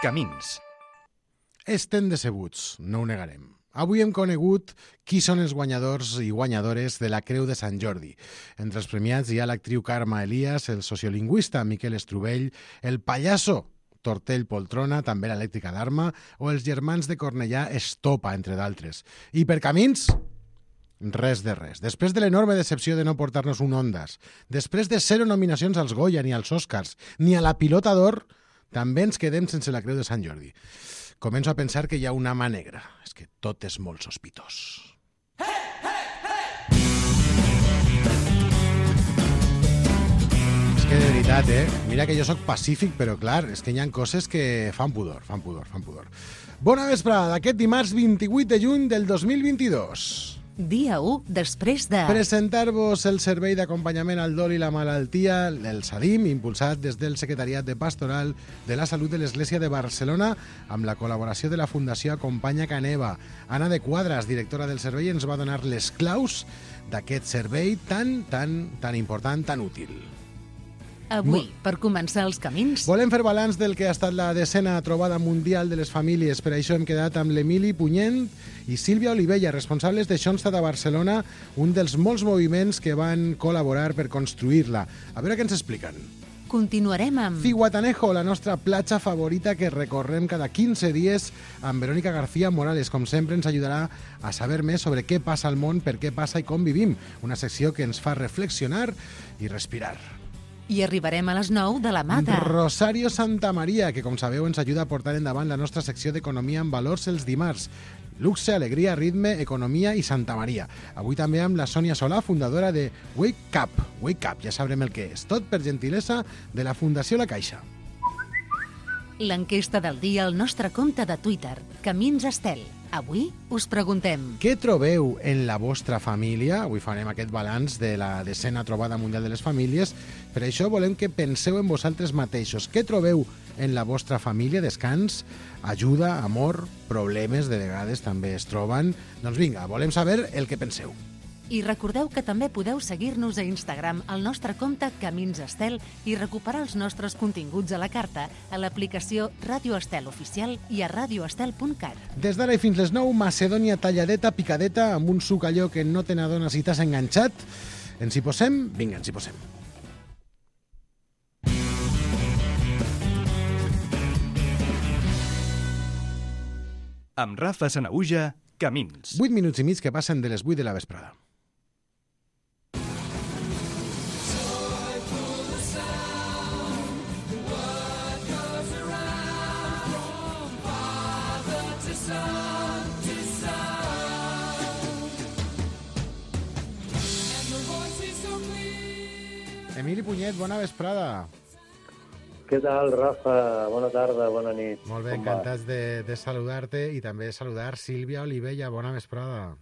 Camins. Estem decebuts, no ho negarem. Avui hem conegut qui són els guanyadors i guanyadores de la Creu de Sant Jordi. Entre els premiats hi ha l'actriu Carme Elias, el sociolingüista Miquel Estrubell, el pallasso Tortell Poltrona, també l'elèctrica d'Arma, o els germans de Cornellà Estopa, entre d'altres. I per camins, res de res. Després de l'enorme decepció de no portar-nos un Ondas, després de 0 nominacions als Goya, ni als Oscars, ni a la Pilota d'Or, també ens quedem sense la Creu de Sant Jordi. Començo a pensar que hi ha una mà negra. És que tot és molt sospitós. És que de veritat, mira que jo sóc pacífic, però clar, és que hi ha coses que fan pudor. Bona vesprada d'aquest dimarts 28 de juny del 2022. Dia 1 després de... Presentar-vos el servei d'acompanyament al dol i la malaltia, el SADIM, impulsat des del Secretariat de Pastoral de la Salut de l'Església de Barcelona, amb la col·laboració de la Fundació Acompanya Caneva. Anna de Quadras, directora del servei, ens va donar les claus d'aquest servei tan important, tan útil. Avui, per començar els camins... Volem fer balanç del que ha estat la 10a trobada mundial de les famílies. Per això hem quedat amb l'Emili Punyent i Sílvia Olivella, responsables de Schoenstatt a Barcelona, un dels molts moviments que van col·laborar per construir-la. A veure què ens expliquen. Continuarem amb... Zihuatanejo, la nostra platja favorita que recorrem cada 15 dies amb Verónica García Morales. Com sempre, ens ajudarà a saber més sobre què passa al món, per què passa i com vivim. Una secció que ens fa reflexionar i respirar. I arribarem a les 9 de la mà de... Rosario Santamaría, que com sabeu ens ajuda a portar endavant la nostra secció d'Economia en Valors els dimarts. Luxe, alegria, ritme, economia i Santa Maria. Avui també amb la Sònia Solà, fundadora de Wake Up. Wake Up, ja sabrem el que és. Tot per gentilesa de la Fundació La Caixa. L'enquesta del dia al nostre compte de Twitter, Camins Estel. Avui us preguntem... Què trobeu en la vostra família? Avui farem aquest balanç de la 10a trobada mundial de les famílies. Per això volem que penseu en vosaltres mateixos. Què trobeu en la vostra família? Descans, ajuda, amor, problemes, de vegades també es troben. Doncs vinga, volem saber el que penseu. I recordeu que també podeu seguir-nos a Instagram al nostre compte Camins Estel i recuperar els nostres continguts a la carta a l'aplicació Ràdio Estel Oficial i a radioestel.cat. Des d'ara i fins les 9, Macedònia talladeta, picadeta, amb un suc allò que no te n'adones si t'has enganxat. Ens hi posem? Vinga, ens hi posem. Amb Rafa Sanaüja, Camins. 8 minuts i mig que passen de les 8 de la vesprada. Emili Punyet, bona vesprada. Què tal, Rafa? Bona tarda, bona nit. Molt bé, encantats de saludar-te i també saludar Sílvia Olivella. Bona vesprada.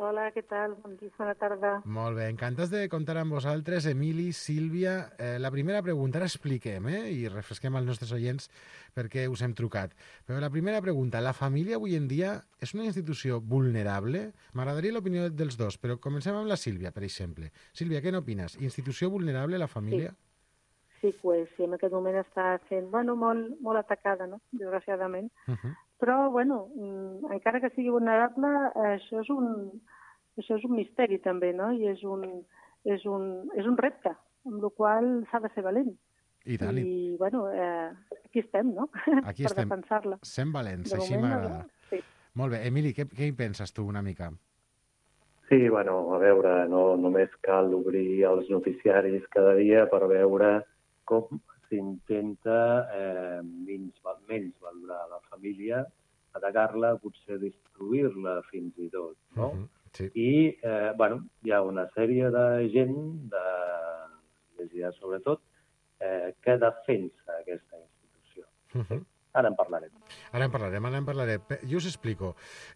Hola, què tal? Bon dia, bona tarda. Molt bé, encantats de comptar amb vosaltres, Emili, Sílvia. La primera pregunta, ara expliquem, i refresquem als nostres oients perquè us hem trucat. Però la primera pregunta, la família avui en dia és una institució vulnerable? M'agradaria l'opinió dels dos, però comencem amb la Sílvia, per exemple. Sílvia, què n'opines? Institució vulnerable, la família? Sí, pues, sí, en aquest moment està sent molt atacada, no? Desgraciadament. Però, encara que sigui vulnerable, això és un misteri també, no? I és un repte, amb el qual s'ha de ser valent. I tant. I, aquí estem, no? Aquí per estem. defensar-la. Sent valents, De així moment, m'agrada. Sí. Molt bé. Emili, què hi penses tu una mica? Sí, a veure, no només cal obrir els noticiaris cada dia per veure com s'intenta menys valorar la família, atacar-la, potser destruir-la fins i tot, no? Sí. I, hi ha una sèrie de gent, de l'Església sobretot, que defensa aquesta institució. Ara en parlarem. Ara en parlarem. Jo us explico.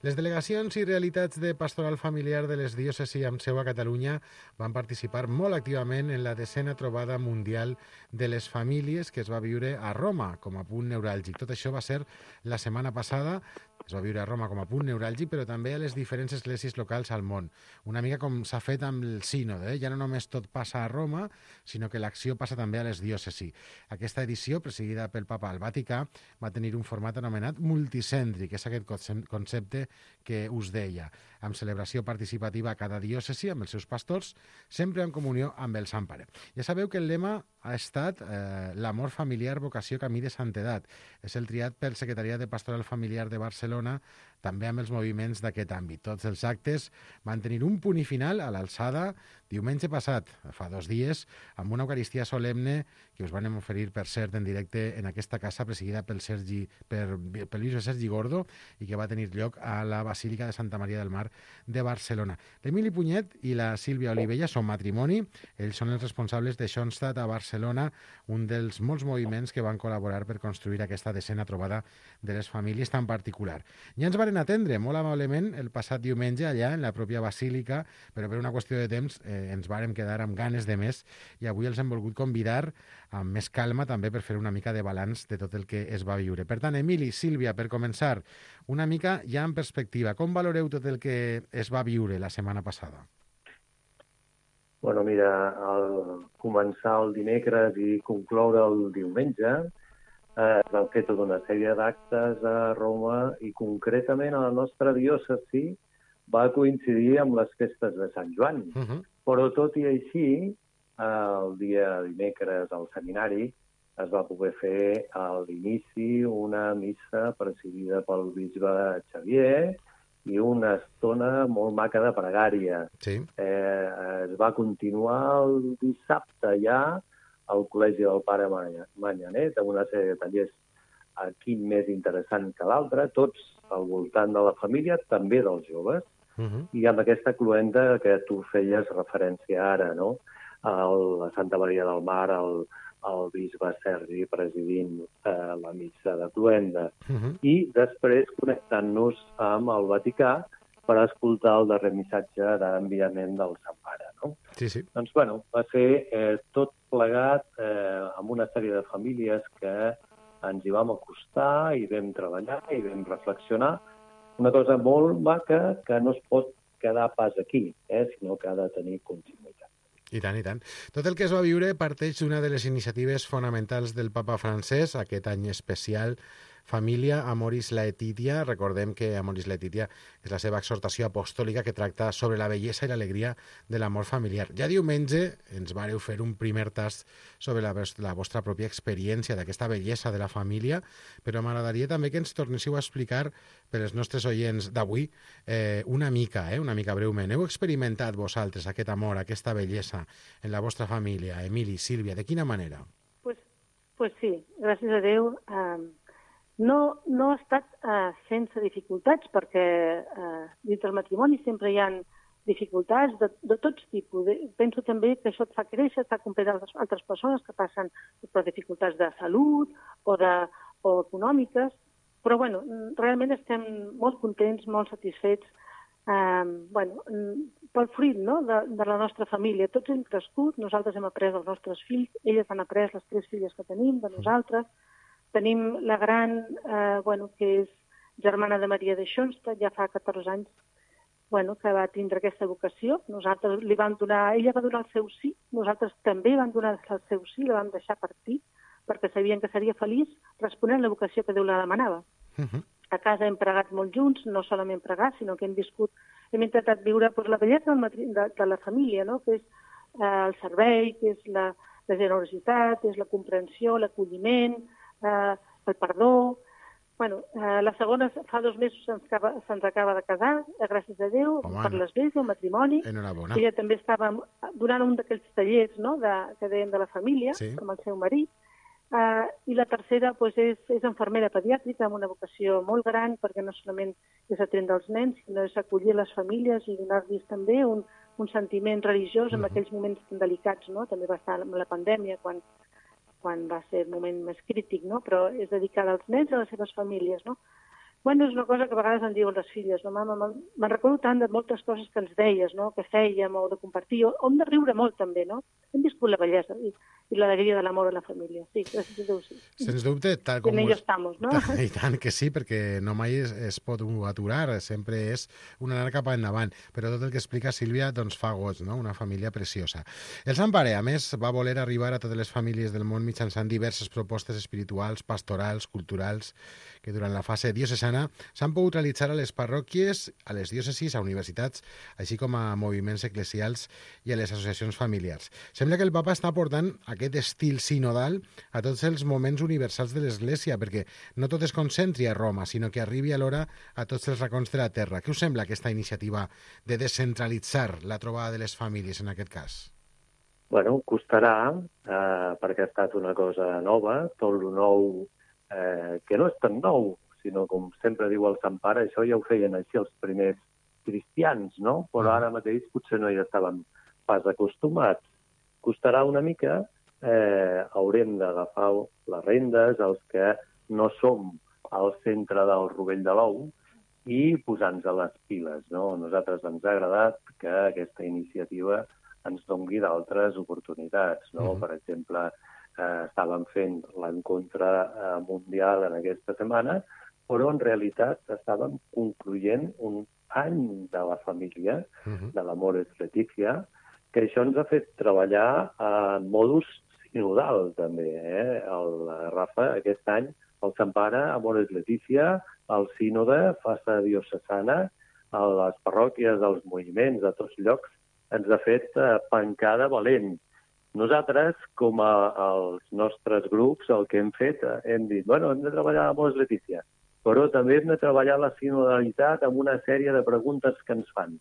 Les delegacions i realitats de pastoral familiar de les diòcesis amb seu a Catalunya van participar molt activament en la 10a trobada mundial de les famílies que es va viure a Roma com a punt neuràlgic. Tot això va ser la setmana passada. Es va viure a Roma com a punt neuràlgic, però també a les diferents esglésies locals al món. Una mica com s'ha fet amb el sínode, Ja no només tot passa a Roma, sinó que l'acció passa també a les diòcesis. Aquesta edició, presidida pel papa al Vaticà, va tenir un format anomenat multicèntric, que és aquest concepte que us deia, amb celebració participativa a cada diòcesi, amb els seus pastors, sempre en comunió amb el Sant Pare. Ja sabeu que el lema ha estat l'amor familiar, vocació, camí de santedat. És el triat pel Secretariat de Pastoral Familiar de Barcelona, també amb els moviments d'aquest àmbit. Tots els actes van tenir un punt i final a l'alçada diumenge passat, fa 2 dies, amb una Eucaristia solemne que us van oferir, per cert, en directe en aquesta casa presidida pel bisbe Sergi Gordo i que va tenir lloc a la Basílica de Santa Maria del Mar de Barcelona. L'Emili Punyet i la Sílvia Olivella són matrimoni. Ells són els responsables de Schoenstatt a Barcelona, un dels molts moviments que van col·laborar per construir aquesta desena trobada de les famílies tan particular. Ja ens varen atendre molt amablement el passat diumenge allà en la pròpia Basílica, però per una qüestió de temps ens vàrem quedar amb ganes de més i avui els hem volgut convidar amb més calma també per fer una mica de balanç de tot el que es va viure. Per tant, Emili, Sílvia, per començar, una mica ja en perspectiva, com valoreu tot el que es va viure la setmana passada? Bueno, mira, al començar el dimecres i concloure el diumenge, vam fer tota una sèrie d'actes a Roma i concretament a la nostra diòcesi va coincidir amb les festes de Sant Joan. Però tot i així, el dia dimecres al seminari es va poder fer a l'inici una missa presidida pel bisbe Xavier i una estona molt maca de pregària. Sí. Es va continuar el dissabte ja al Col·legi del Pare Manyanet, amb una sèrie de tallers, quin més interessant que l'altre, tots al voltant de la família, també dels joves, i amb aquesta cluenda que tu feies referència ara, no? A Santa Maria del Mar, el bisbe Sergi presidint la missa de cluenda, i després connectant-nos amb el Vaticà per escoltar el darrer missatge d'enviament del Sant Pare, no? Sí, sí. Doncs, bueno, va ser tot plegat amb una sèrie de famílies que ens hi vam acostar i vam treballar i vam reflexionar. Una cosa molt maca que no es pot quedar pas aquí, sinó que ha de tenir continuïtat. I tant, i tant. Tot el que es va viure parteix d'una de les iniciatives fonamentals del papa francès, aquest any especial Família Amoris Laetitia. Recordem que Amoris Laetitia és la seva exhortació apostòlica que tracta sobre la bellesa i l'alegria de l'amor familiar. Ja diumenge ens vareu fer un primer tast sobre la vostra pròpia experiència d'aquesta bellesa de la família, però m'agradaria també que ens tornéssiu a explicar per als nostres oients d'avui una mica breument. Heu experimentat vosaltres aquest amor, aquesta bellesa en la vostra família? Emili, Sílvia, de quina manera? Pues sí, gràcies a Déu. No ha estat sense dificultats, perquè dins del matrimoni sempre hi ha dificultats de tots tipus. Penso també que això et fa créixer, et fa comprendre altres persones que passen per dificultats de salut o econòmiques, però bueno, realment estem molt contents, molt satisfets pel fruit, no? de la nostra família. Tots hem crescut, nosaltres hem après els nostres fills, elles han après les 3 filles que tenim de nosaltres. Tenim la gran, que és germana de Maria de Schoenstatt, ja fa 14 anys que va tindre aquesta vocació. Nosaltres li vam donar, ella va donar el seu sí, nosaltres també vam donar el seu sí, la vam deixar partir, perquè sabien que seria feliç responent la vocació que Déu la demanava. A casa hem pregat molt junts, no solament pregar, sinó que hem intentat viure la bellesa de la família, no? Que és el servei, que és la generositat, és la comprensió, l'acolliment, el perdó. La segona fa 2 mesos se'ns acaba de casar, gràcies a Déu, per l'església, el matrimoni. Enhorabona. Ella també estava donant un d'aquells tallers, no?, que deien de la família, sí, com el seu marit. I la tercera és infermera pediàtrica amb una vocació molt gran, perquè no solament és atendre els nens, sinó és acollir les famílies i donar-los també un sentiment religiós en aquells moments tan delicats, no? També va estar amb la pandèmia, quan va ser el moment més crític, no? Però és dedicada als nens i a les seves famílies, no? Bueno, és una cosa que a vegades em diuen les filles, no, mama, me'n recordo tant de moltes coses que ens deies, no?, que fèiem o de compartir, o hem de riure molt també, no? Hem viscut la bellesa i l'alegria de l'amor a la família. Sí, gràcies a Déu, sí. Sens dubte, tal com... En ello estamos, no? I tant que sí, perquè no mai es pot aturar, sempre és un anar cap endavant. Però tot el que explica Sílvia doncs fa goig, no? Una família preciosa. El Sant Pare, a més, va voler arribar a totes les famílies del món mitjançant diverses propostes espirituals, pastorals, culturals, que durant la fase diocesana s'han pogut realitzar a les parròquies, a les diòcesis, a universitats, així com a moviments eclesials i a les associacions familiars. Sembla que el papa està portant aquest estil sinodal a tots els moments universals de l'Església, perquè no tot es concentri a Roma, sinó que arribi alhora a tots els racons de la terra. Què us sembla aquesta iniciativa de descentralitzar la trobada de les famílies en aquest cas? Bueno, costarà, perquè ha estat una cosa nova, tot lo nou, que no és tan nou, sinó, com sempre diu el Sant Pare, això ja ho feien així els primers cristians, no? Però ara mateix potser no hi estàvem pas acostumats. Costarà una mica, haurem d'agafar les rendes, els que no som al centre del rovell de l'ou, i posar-nos a les piles, no? A nosaltres ens ha agradat que aquesta iniciativa ens doni d'altres oportunitats, no? Per exemple, estàvem fent l'encontre mundial en aquesta setmana, però en realitat estàvem concloent un any de la família, de l'Amores Letícia, que això ens ha fet treballar en modus sinodal, també. El Rafa, aquest any, el Sant Pare, Amores Letícia, el sínode, Fassa Diocesana, a les parròquies, als moviments, a tots llocs, ens ha fet pancada valent. Nosaltres, com els nostres grups, el que hem fet, hem dit, bueno, hem de treballar a Amores Letícia, però també hem de treballar la sinodalitat amb una sèrie de preguntes que ens fan.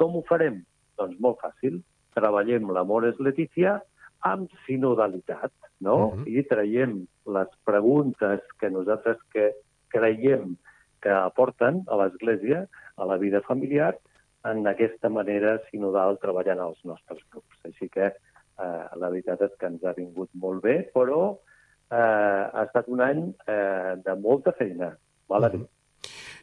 Com ho farem? Doncs molt fàcil. Treballem l'Amores Letícia amb sinodalitat, no? I traiem les preguntes que nosaltres creiem que aporten a l'Església, a la vida familiar, en aquesta manera sinodal treballant als nostres grups. Així que la veritat és que ens ha vingut molt bé, però ha estat un any de molta feina, val a dir.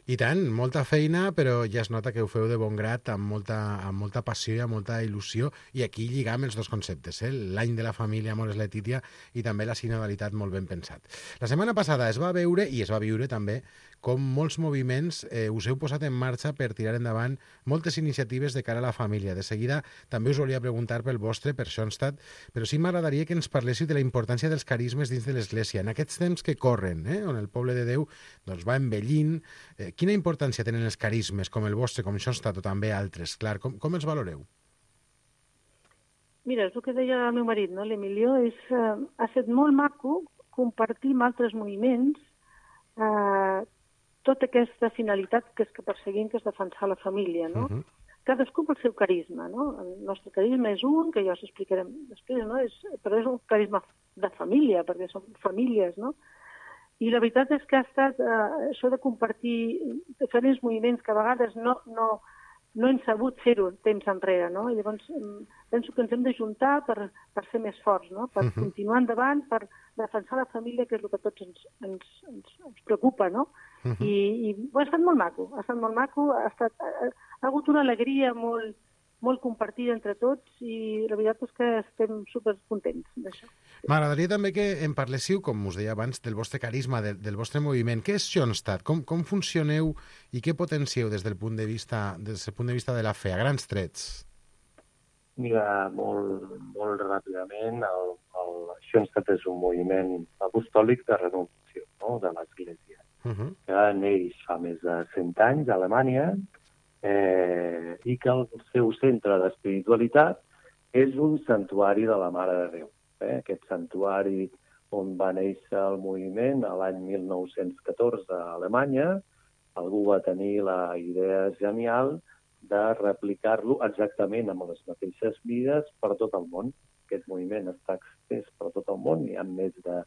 I tant, molta feina, però ja es nota que ho feu de bon grat, amb molta passió i amb molta il·lusió, i aquí lligam els dos conceptes, l'any de la família Amores Letícia i també la sinodalitat molt ben pensat. La setmana passada es va veure, i es va viure també, com molts moviments us heu posat en marxa per tirar endavant moltes iniciatives de cara a la família. De seguida també us volia preguntar pel vostre, per Schoenstatt, però sí m'agradaria que ens parléssiu de la importància dels carismes dins de l'Església. En aquests temps que corren, on el poble de Déu doncs, va envellint, quina importància tenen els carismes, com el vostre, com Schoenstatt o també altres? Clar, com els valoreu? Mira, és el que deia el meu marit, no? L'Emilio, ha estat molt maco compartir amb altres moviments tota aquesta finalitat que és que perseguim, que és defensar la família, no? Cadascú pel seu carisma, no? El nostre carisma és un, que ja us explicarem després, no? Però és un carisma de família, perquè som famílies, no? I la veritat és que ha estat això de compartir diferents moviments que a vegades no hem sabut fer-ho temps enrere, no? I llavors penso que ens hem d'ajuntar per ser més forts, no? Per continuar endavant, per defensar la família, que és el que a tots ens preocupa, no? I ha estat molt maco, ha hagut una alegria molt compartida entre tots i la veritat és que estem supercontents d'això. M'agradaria també que em parléssiu, com us deia abans, del vostre carisma, del vostre moviment. Què és Schoenstatt? Com funcioneu i què potencieu des del punt de vista de la fe, a grans trets? Mira, molt ràpidament, el Schoenstatt és un moviment apostòlic de renovació, no?, de l'Església, que neix fa més de 100 anys a Alemanya, i que el seu centre d'espiritualitat és un santuari de la Mare de Déu. Aquest santuari on va néixer el moviment a l'any 1914 a Alemanya, algú va tenir la idea genial de replicar-lo exactament amb les mateixes mides per tot el món. Aquest moviment està extès per tot el món, hi ha més de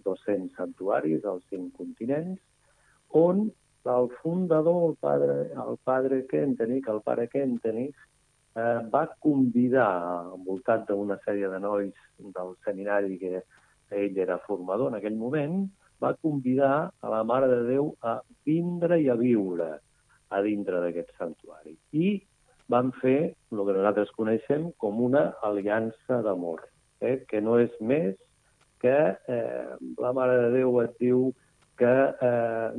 200 santuaris als 5 continents, on el fundador, el pare Kentenich, va convidar, envoltat d'una sèrie de nois del seminari que ell era formador en aquell moment, va convidar a la Mare de Déu a vindre i a viure a dintre d'aquest santuari. I van fer el que nosaltres coneixem com una aliança d'amor, que no és més que la Mare de Déu et diu que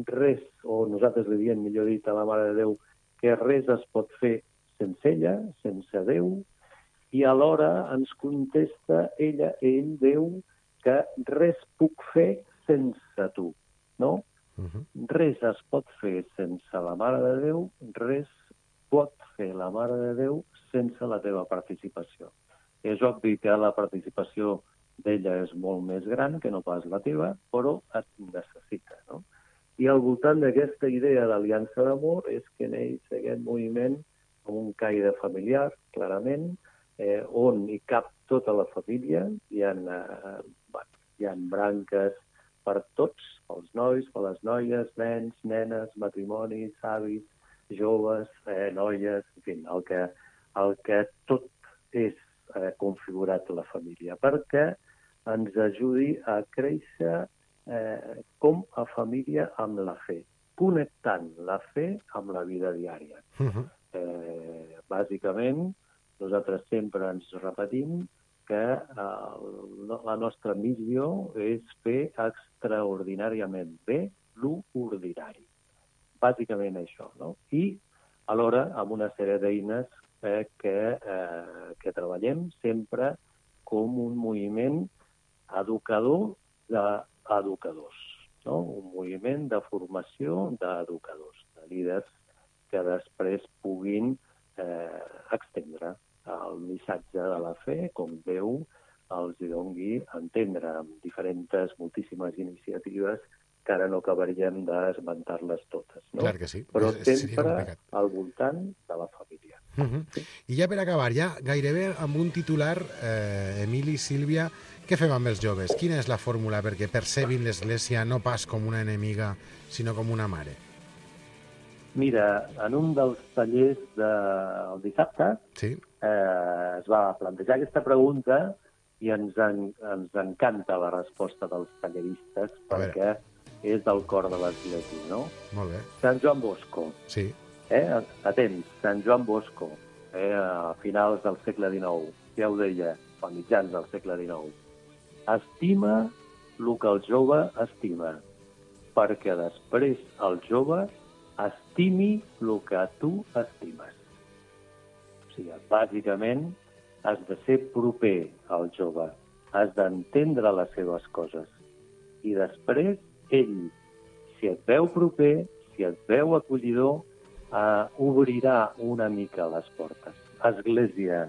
res, o nosaltres li diem, millor dit, a la Mare de Déu, que res es pot fer sense ella, sense Déu, i alhora ens contesta ell, Déu, que res puc fer sense tu, no? Res es pot fer sense la Mare de Déu, res pot fer la Mare de Déu sense la teva participació. És obvi que la participació d'ella és molt més gran que no pas la teva, però et necessita, no? I al voltant d'aquesta idea d'aliança d'amor és que neix aquest moviment com un caire familiar, clarament, on hi cap tota la família, hi ha branques per tots, pels nois, per les noies, nens, nenes, matrimonis, avis, joves, noies, en fi, el que tot és configurat a la família, perquè ens ajudi a créixer com a família amb la fe, connectant la fe amb la vida diària. Bàsicament, nosaltres sempre ens repetim que la nostra missió és fer extraordinàriament bé l'ordinari. Bàsicament això, no? I alhora amb una sèrie d'eines que treballem sempre com un moviment educador d'educadors, no? Un moviment de formació d'educadors, de líders que després puguin extendre el missatge de la fe, com Déu els doni a entendre amb diferents, moltíssimes iniciatives que ara no acabaríem d'esmentar-les totes, no? Clar que sí. Però sempre al voltant de la família. Sí? I ja per acabar, ja gairebé amb un titular, Emili, Sílvia, què fem amb els joves? Quina és la fórmula perquè percebin l'Església no pas com una enemiga, sinó com una mare? Mira, en un dels tallers del dissabte es va plantejar aquesta pregunta i ens encanta la resposta dels talleristes perquè és del cor de l'Església, no? Molt bé. Sant Joan Bosco. Sí. Atents, Sant Joan Bosco, a finals del segle XIX, ja ho deia, a mitjans del segle XIX. Estima el que el jove estima, perquè després el jove estimi el que tu estimes. O sigui, bàsicament, has de ser proper al jove, has d'entendre les seves coses. I després, ell, si et veu proper, si et veu acollidor, obrirà una mica les portes. Església,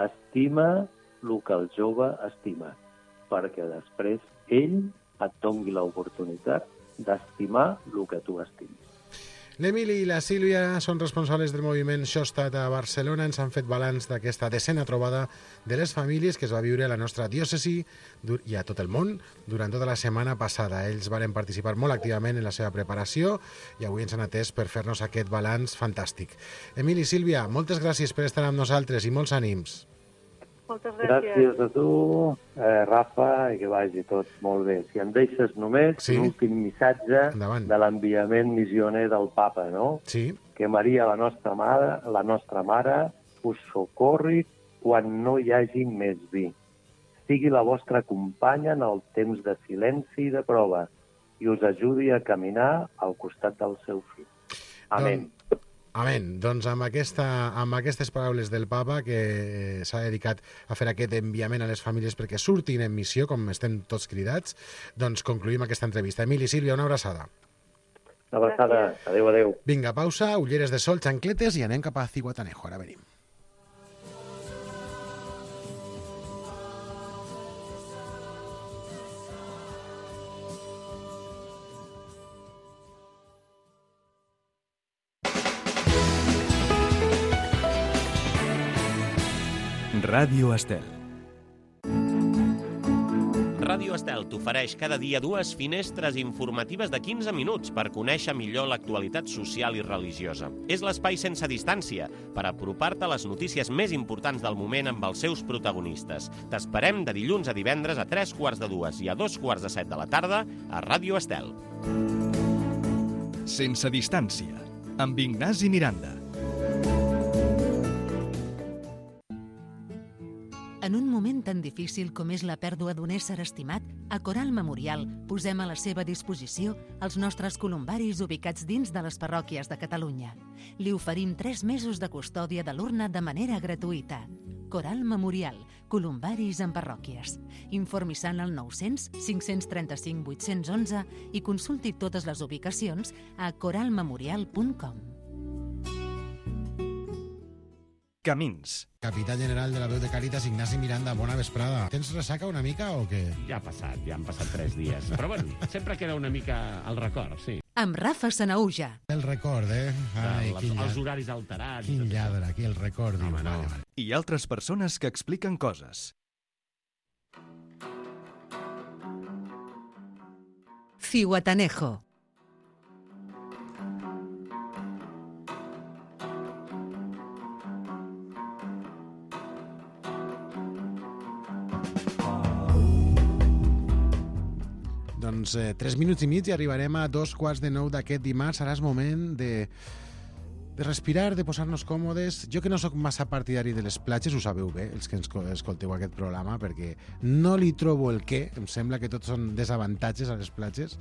estima el que el jove estima, perquè després ell et doni l'oportunitat d'estimar el que tu estimes. L'Emili i la Sílvia són responsables del moviment Shostat a Barcelona. Ens han fet balanç d'aquesta 10a trobada de les famílies que es va viure a la nostra diòcesi i a tot el món durant tota la setmana passada. Ells varen participar molt activament en la seva preparació i avui ens han atès per fer-nos aquest balanç fantàstic. Emili i Sílvia, moltes gràcies per estar amb nosaltres i molts ànims. Moltes gràcies. Gràcies a tu, Rafa, i que vagi tot molt bé. Si em deixes només l'últim missatge de l'enviament missioner del papa, no? Sí. Que Maria, la nostra mare, us socorri quan no hi hagi més vi. Sigui la vostra companya en el temps de silenci i de prova i us ajudi a caminar al costat del seu fill. Amén. Amén. Doncs amb aquestes paraules del papa que s'ha dedicat a fer aquest enviament a les famílies perquè surtin en missió, com estem tots cridats, doncs concluïm aquesta entrevista. Emili, Sílvia, una abraçada. Una abraçada. Adéu, adéu. Vinga, pausa, ulleres de sol, xancletes i anem cap a Zihuatanejo. Ara venim. Ràdio Estel. Ràdio Estel t'ofereix cada dia 2 finestres informatives de 15 minuts per conèixer millor l'actualitat social i religiosa. És l'espai sense distància per apropar-te a les notícies més importants del moment amb els seus protagonistes. T'esperem de dilluns a divendres a 3:45 i a 2:45 de la tarda a Ràdio Estel. Sense distància, amb Ignasi Miranda. En un moment tan difícil com és la pèrdua d'un ésser estimat, a Coral Memorial posem a la seva disposició els nostres columbaris ubicats dins de les parròquies de Catalunya. Li oferim 3 mesos de custòdia de l'urna de manera gratuïta. Coral Memorial, columbaris en parròquies. Informi-se'n al 900 535 811 i consulti totes les ubicacions a coralmemorial.com. Camins. Capità general de la veu de Càritas, Ignasi Miranda, bona vesprada. Tens ressaca una mica o què? Ja han passat 3 dies. Però bueno, sempre queda una mica al record, sí. Amb Rafa Sanauja. El record, Ai, Els horaris alterats. Quin lladre, aquí el record. Home, no. I altres persones que expliquen coses. Zihuatanejo. Doncs 3 minuts i mig i arribarem a 2:15 d'aquest dimarts. Ara és moment de respirar, de posar-nos còmodes. Jo que no sóc massa partidari de les platges, ho sabeu bé, els que escolteu aquest programa, perquè no li trobo el què, em sembla que tots són desavantatges a les platges.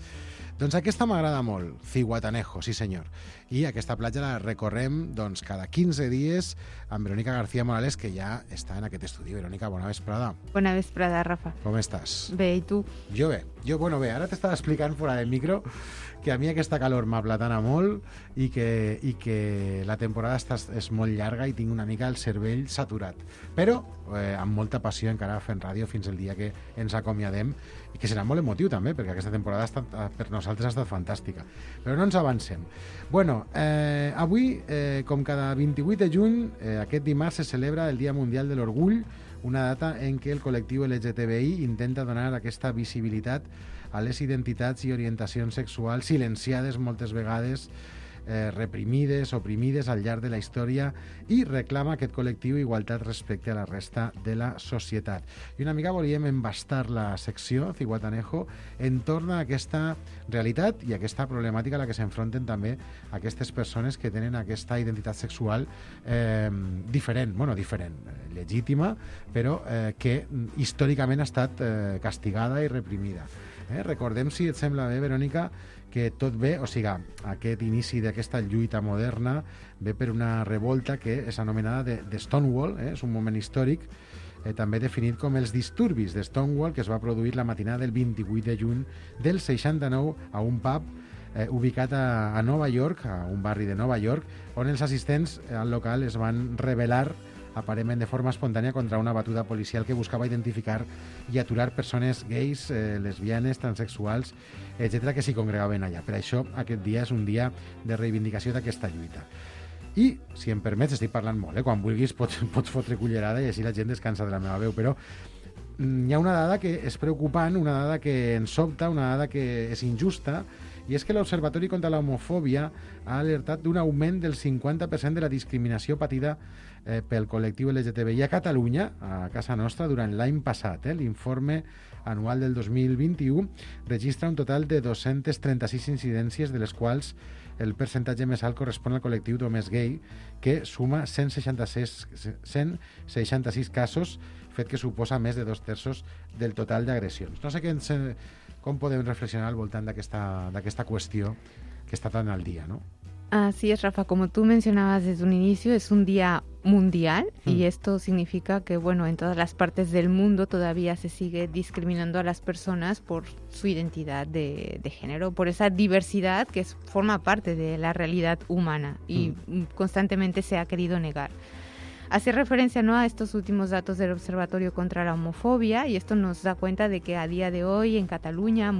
Doncs aquesta m'agrada molt, Zihuatanejo, sí senyor. I aquesta platja la recorrem doncs, cada 15 dies amb Verónica García Morales, que ja està en aquest estudi. Verónica, bona vesprada. Bona vesprada, Rafa. Com estàs? Bé, i tu? Jo bé. Bé, ara t'estava explicant fora del micro que a mi aquesta calor m'aplatana molt i que la temporada és molt llarga i tinc una mica el cervell saturat. Però amb molta passió encara fent ràdio fins el dia que ens acomiadem, i que serà molt emotiu també, perquè aquesta temporada per nosaltres ha estat fantàstica. Però no ens avancem. Bueno, avui, com cada 28 de juny, aquest dimarts se celebra el Dia Mundial de l'Orgull, una data en què el col·lectiu LGTBI intenta donar aquesta visibilitat a les identitats i orientacions sexuals silenciades moltes vegades, reprimides, oprimides al llarg de la història, i reclama aquest col·lectiu igualtat respecte a la resta de la societat. I una mica volíem embastar la secció Zihuatanejo entorn a aquesta realitat i aquesta problemàtica a la que s'enfronten també aquestes persones que tenen aquesta identitat sexual diferent, legítima, però que històricament ha estat castigada i reprimida. Recordem, si et sembla bé, Verónica, que tot ve, o sigui, aquest inici d'aquesta lluita moderna ve per una revolta que és anomenada de Stonewall, és un moment històric també definit com els disturbis de Stonewall, que es va produir la matinada del 28 de juny del 69 a un pub ubicat a Nova York, a un barri de Nova York, on els assistents al local es van rebel·lar aparentment de forma espontània contra una batuda policial que buscava identificar i aturar persones gais, lesbianes, transexuals, etc., que s'hi congregaven allà. Per això aquest dia és un dia de reivindicació d'aquesta lluita. I, si em permets, estic parlant molt, quan vulguis pots fotre cullerada i així la gent descansa de la meva veu, però hi ha una dada que és preocupant, una dada que ens sobta, una dada que és injusta, i és que l'Observatori contra l'Homofòbia ha alertat d'un augment del 50% de la discriminació patida pel col·lectiu LGTBI a Catalunya, a casa nostra, durant l'any passat. L'informe anual del 2021 registra un total de 236 incidències, de les quals el percentatge més alt correspon al col·lectiu d'homes gay, que suma 166 casos, fet que suposa més de 2/3 del total d'agressions. No sé com podem reflexionar al voltant d'aquesta qüestió que està tan al día, ¿no? Así es, Rafa. Como tú mencionabas desde un inicio, es un día mundial y esto significa que, bueno, en todas las partes del mundo todavía se sigue discriminando a las personas por su identidad de género, por esa diversidad que forma parte de la realidad humana y constantemente se ha querido negar. Hace referencia, ¿no?, a estos últimos datos del Observatorio contra la Homofobia, y esto nos da cuenta de que a día de hoy en Cataluña,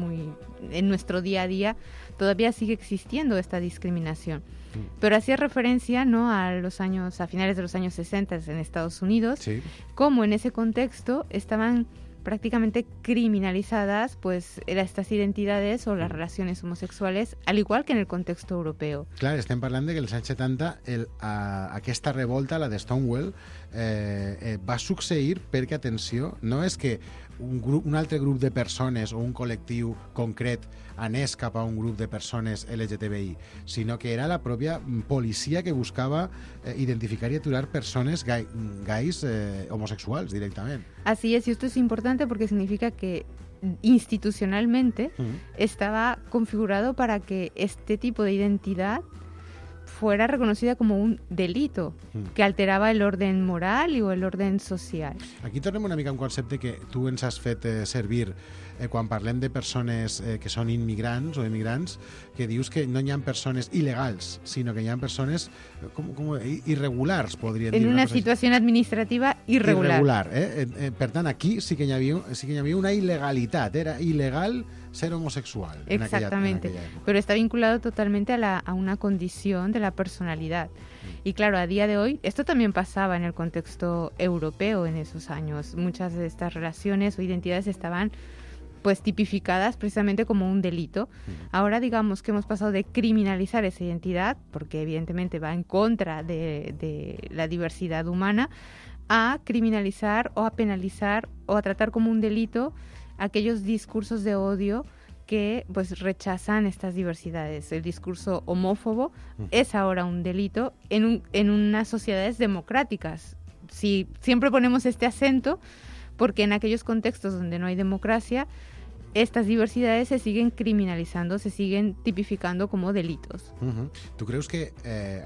en nuestro día a día, todavía sigue existiendo esta discriminación. Pero hacía referencia, ¿no?, a finales de los años 60 en Estados Unidos, sí, como en ese contexto estaban prácticamente criminalizadas pues estas identidades o las relaciones homosexuales, al igual que en el contexto europeo. Clar, estem parlant de que els anys 70 aquesta revolta, la de Stonewall, va succeir perquè, atenció, no és que un altre grup de persones o un col·lectiu concret anés cap a un grup de persones LGTBI, sinó que era la pròpia policia que buscava identificar y aturar persones gais homosexuals directament. Así es, y esto es importante porque significa que institucionalmente estaba configurado para que este tipo de identidad fuera reconocida como un delito que alterava el orden moral o el orden social. Aquí tornem una mica a un concepte que tu ens has fet servir quan parlem de persones que són immigrants o emigrants, que dius que no hi ha persones il·legals, sinó que hi ha persones irregulars, podríem dir. En una situació administrativa irregular. Per tant, aquí sí que hi havia una il·legalitat, era il·legal ser homosexual. Exactamente, en aquella época. Pero está vinculado totalmente a una condición de la personalidad. Y claro, a día de hoy, esto también pasaba en el contexto europeo en esos años. Muchas de estas relaciones o identidades estaban pues tipificadas precisamente como un delito. Ahora digamos que hemos pasado de criminalizar esa identidad, porque evidentemente va en contra de la diversidad humana, a criminalizar o a penalizar o a tratar como un delito aquellos discursos de odio que pues rechazan estas diversidades. El discurso homófobo es ahora un delito en unas sociedades democráticas. Si siempre ponemos este acento, porque en aquellos contextos donde no hay democracia, estas diversidades se siguen criminalizando, se siguen tipificando como delitos. Tu creus que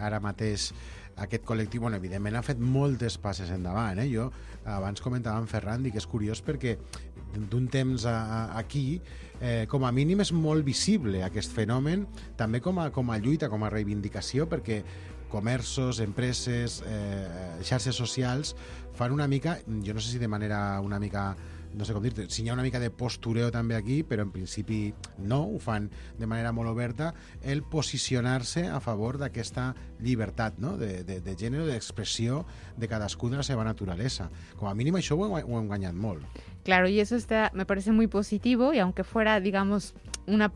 ara mateix aquest col·lectiu, bueno, evidentment ha fet moltes passes endavant, Jo abans comentava amb Ferran, dic que és curiós perquè d'un temps aquí, com a mínim és molt visible aquest fenomen, també com a lluita, com a reivindicació, perquè comerços, empreses, xarxes socials fan una mica, jo no sé si de manera una mica, no sé com dir-te, si hi ha una mica de postureo també aquí, però en principi no, ho fan de manera molt oberta, el posicionar-se a favor d'aquesta llibertat, no? de gènere, d'expressió de cadascú de la seva naturalesa. Com a mínim això ho hem guanyat molt. Claro, y eso me parece muy positivo, y aunque fuera, digamos, una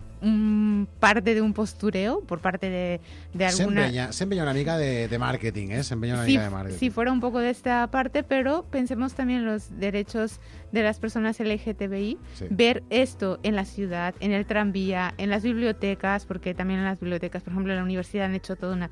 parte de un postureo por parte de alguna... Siempre hay una mica de marketing, Siempre hay una mica de marketing. Sí, fuera un poco de esta parte, pero pensemos también en los derechos de las personas LGTBI, ver esto en la ciudad, en el tranvía, en las bibliotecas, porque también en las bibliotecas, por ejemplo, en la universidad han hecho toda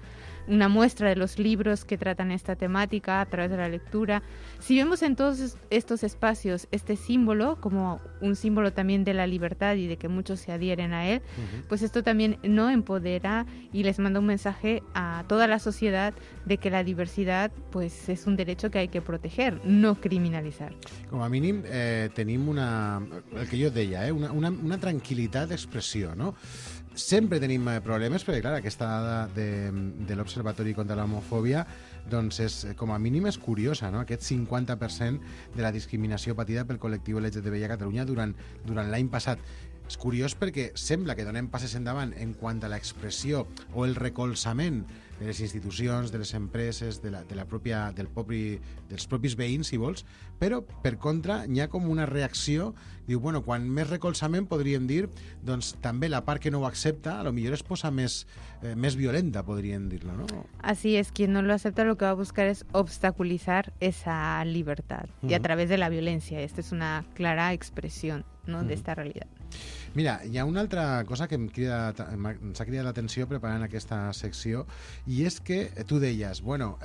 una muestra de los libros que tratan esta temática a través de la lectura. Si vemos en todos estos espacios este símbolo como un símbolo también de la libertad y de que muchos se adhieren a él, pues esto también no empodera y les manda un mensaje a toda la sociedad de que la diversidad pues es un derecho que hay que proteger, no criminalizar. Com a mínim tenim el que jo deia, una tranquil·litat d'expressió, no? Sempre tenim problemes, perquè clar, aquesta dada de l'Observatori contra l'Homofòbia doncs com a mínim és curiosa, no? Aquest 50% de la discriminació patida pel col·lectiu LGTBI a Catalunya durant l'any passat. És curiós perquè sembla que donem passes endavant en quant a l'expressió o el recolzament de les institucions, de les empreses, dels propis veïns, si vols, però, per contra, hi ha com una reacció, diu, bueno, quan més recolzament podríem dir, doncs també la part que no ho accepta, a lo millor es posa més violenta, podríem dir-lo, ¿no? Así es, quien no lo acepta lo que va a buscar es obstaculizar esa libertad, y a través de la violencia. Esta es una clara expresión, ¿no? de esta realidad. Mira, hi ha una altra cosa que ens ha cridat l'atenció preparant aquesta secció, i és que tu deies, bueno,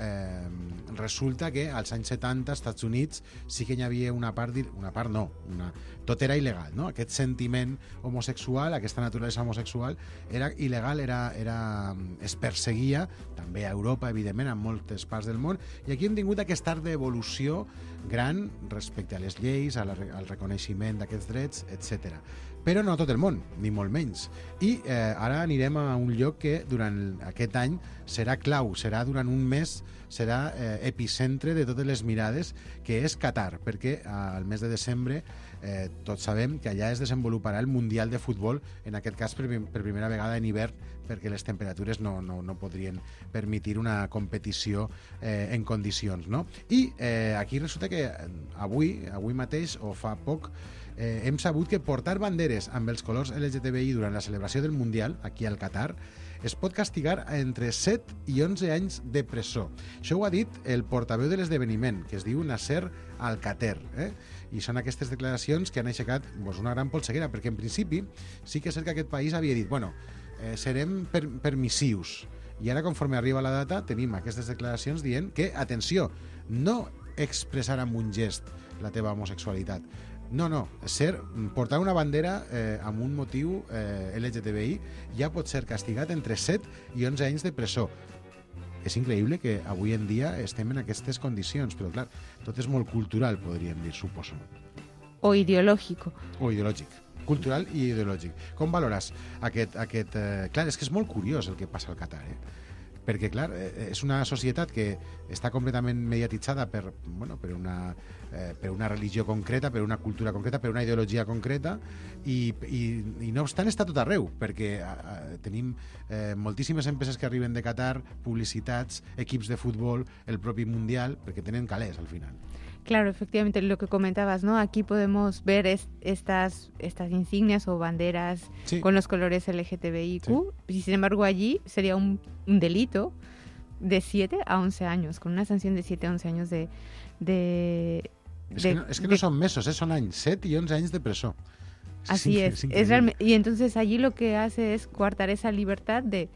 resulta que als anys 70 als Estats Units sí que hi havia tot era il·legal, no? Aquest sentiment homosexual, aquesta naturalesa homosexual era il·legal, es perseguia, també a Europa, evidentment, en moltes parts del món, i aquí hem tingut aquest art d'evolució gran respecte a les lleis, al reconeixement d'aquests drets, etc. Però no tot el món, ni molt menys. I ara anirem a un lloc que durant aquest any serà clau, serà durant un mes, serà epicentre de totes les mirades, que és Qatar, perquè al mes de desembre tots sabem que allà es desenvoluparà el Mundial de Futbol, en aquest cas per primera vegada en hivern perquè les temperatures no podrien permetre una competició en condicions, no? I aquí resulta que avui mateix, o fa poc, hem sabut que portar banderes amb els colors LGTBI durant la celebració del Mundial, aquí al Qatar, es pot castigar entre 7 i 11 anys de presó. Això ho ha dit el portaveu de l'esdeveniment, que es diu Nasser Al-Khater, i són aquestes declaracions que han aixecat una gran polseguera, perquè en principi sí que és cert que aquest país havia dit, serem permissius, i ara conforme arriba la data tenim aquestes declaracions dient que, atenció, no expressar amb un gest la teva homosexualitat, no, portar una bandera amb un motiu LGTBI ja pot ser castigat entre 7 i 11 anys de presó. És increïble que avui en dia estem en aquestes condicions, però clar, tot és molt cultural, podríem dir, suposo. O ideològic. Cultural i ideològic. Com valores aquest... Clar, és que és molt curiós el que passa al Qatar, perquè, clar, és una societat que està completament mediatitzada per una religió concreta, per una cultura concreta, per una ideologia concreta, i no obstant està tot arreu, perquè tenim moltíssimes empreses que arriben de Qatar, publicitats, equips de futbol, el propi Mundial, perquè tenen calés al final. Claro, efectivamente, lo que comentabas, ¿no? Aquí podemos ver estas insignias o banderas con los colores LGTBIQ, y sin embargo allí sería un delito de 7 a 11 años, con una sanción de 7 a 11 años de Es que no son mesos, son años, 7 y 11 años de presó. Así es y entonces allí lo que hace es coartar esa libertad de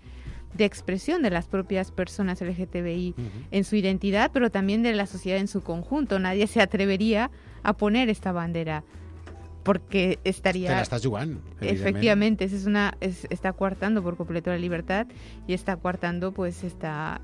expresión de las propias personas LGTBI en su identidad, pero también de la sociedad en su conjunto. Nadie se atrevería a poner esta bandera porque estaría... Te la estás jugando. Efectivamente, está coartando por completo la libertad y está coartando pues esta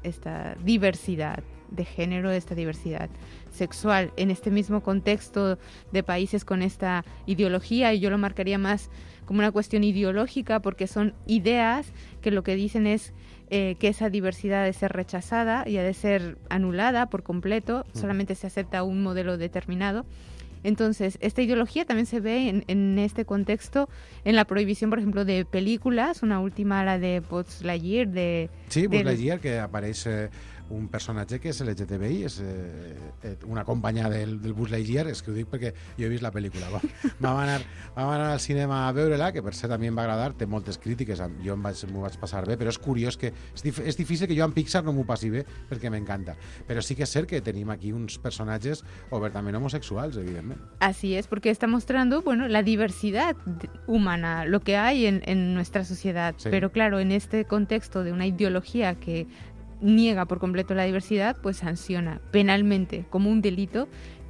diversidad de género, esta diversidad sexual en este mismo contexto de países con esta ideología, y yo lo marcaría más como una cuestión ideológica, porque son ideas que lo que dicen es que esa diversidad ha de ser rechazada y ha de ser anulada por completo, solamente se acepta un modelo determinado. Entonces, esta ideología también se ve en este contexto, en la prohibición, por ejemplo, de películas, una última, la de Buzz Lightyear. Buzz Lightyear, que aparece un personatge que és LGTBI, és una companya del Buzz Lightyear, és que ho dic perquè jo he vist la pel·lícula. Vam anar al cinema a veure-la, que per cert a mi em va agradar, té moltes crítiques, jo m'ho vaig passar bé, però és curiós que és difícil que jo amb Pixar no m'ho passi bé, perquè m'encanta. Però sí que és cert que tenim aquí uns personatges obertament homosexuals, evidentment. Así es, porque está mostrando, la diversidad humana, lo que hay en nuestra sociedad, pero claro, en este contexto de una ideología que niega por completo la diversidad, pues sanciona penalmente como un delito,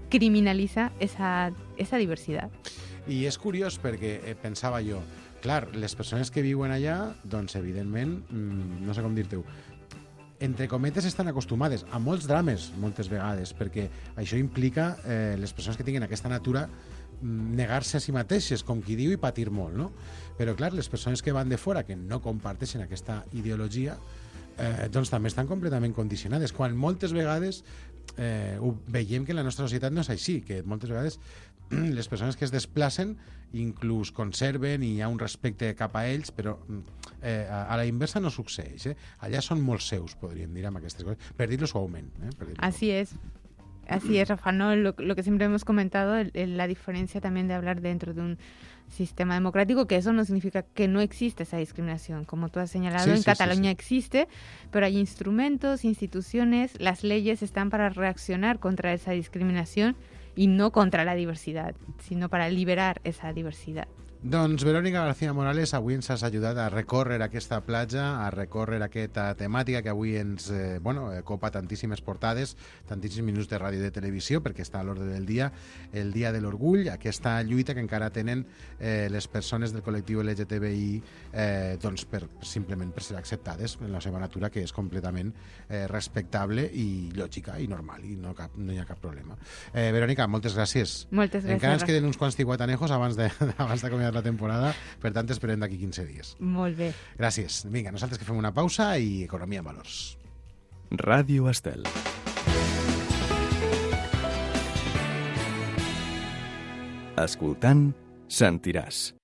criminaliza esa diversidad. I és curiós perquè pensava jo, clar, les persones que viuen allà, doncs evidentment, no sé com dir-te-ho, entre cometes estan acostumades a molts drames moltes vegades, perquè això implica les persones que tinguin aquesta natura negar-se a si mateixes, com qui diu, i patir molt, no? Però clar, les persones que van de fora, que no comparteixen aquesta ideologia, doncs també estan completament condicionades, quan moltes vegades ho veiem que en la nostra societat no és així, que moltes vegades les persones que es desplacen inclús conserven i hi ha un respecte cap a ells, però a la inversa no succeeix. Allà són molt seus, podríem dir, amb aquestes coses, per dir-lo suaument. Así es, Rafa, ¿no? Lo que siempre hemos comentado, la diferencia también de hablar dentro de un sistema democrático, que eso no significa que no existe esa discriminación. Como tú has señalado, en Cataluña existe, pero hay instrumentos, instituciones, las leyes están para reaccionar contra esa discriminación y no contra la diversidad, sino para liberar esa diversidad. Doncs Verónica García Morales, avui ens has ajudat a recórrer aquesta platja, a recórrer aquesta temàtica que avui ens copa tantíssimes portades, tantíssims minuts de ràdio i de televisió, perquè està a l'ordre del dia, el Dia de l'Orgull, aquesta lluita que encara tenen les persones del col·lectiu LGTBI simplement per ser acceptades en la seva natura, que és completament respectable i lògica i normal, i no hi ha cap problema. Verónica, moltes gràcies. Moltes gràcies. Encara ens queden uns quants tiguatanejos abans d'acomiadar la temporada, per tant esperem d'aquí 15 dies. Molt bé. Gràcies. Vinga, nosaltres que fem una pausa i Economia en Valors. Ràdio Estel. Escoltant, sentiràs.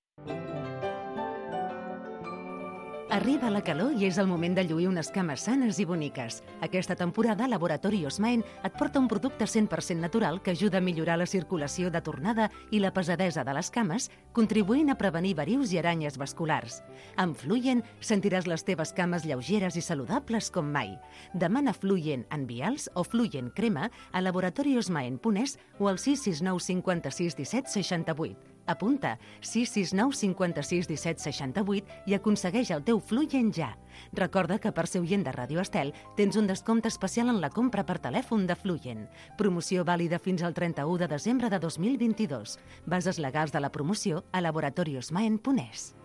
Arriba la calor i és el moment de lluir unes cames sanes i boniques. Aquesta temporada, Laboratori Osmaen et porta un producte 100% natural que ajuda a millorar la circulació de tornada i la pesadesa de les cames, contribuint a prevenir varius i aranyes vasculars. Amb Fluyen sentiràs les teves cames lleugeres i saludables com mai. Demana Fluyen en vials o Fluyen crema a laboratoriosmaen.es o al 669 56 17 68. Apunta 669 56 17 68 i aconsegueix el teu Fluyen ja. Recorda que per ser oient de Ràdio Estel tens un descompte especial en la compra per telèfon de Fluyen. Promoció vàlida fins al 31 de desembre de 2022. Bases legals de la promoció a laboratoriosmaen.es.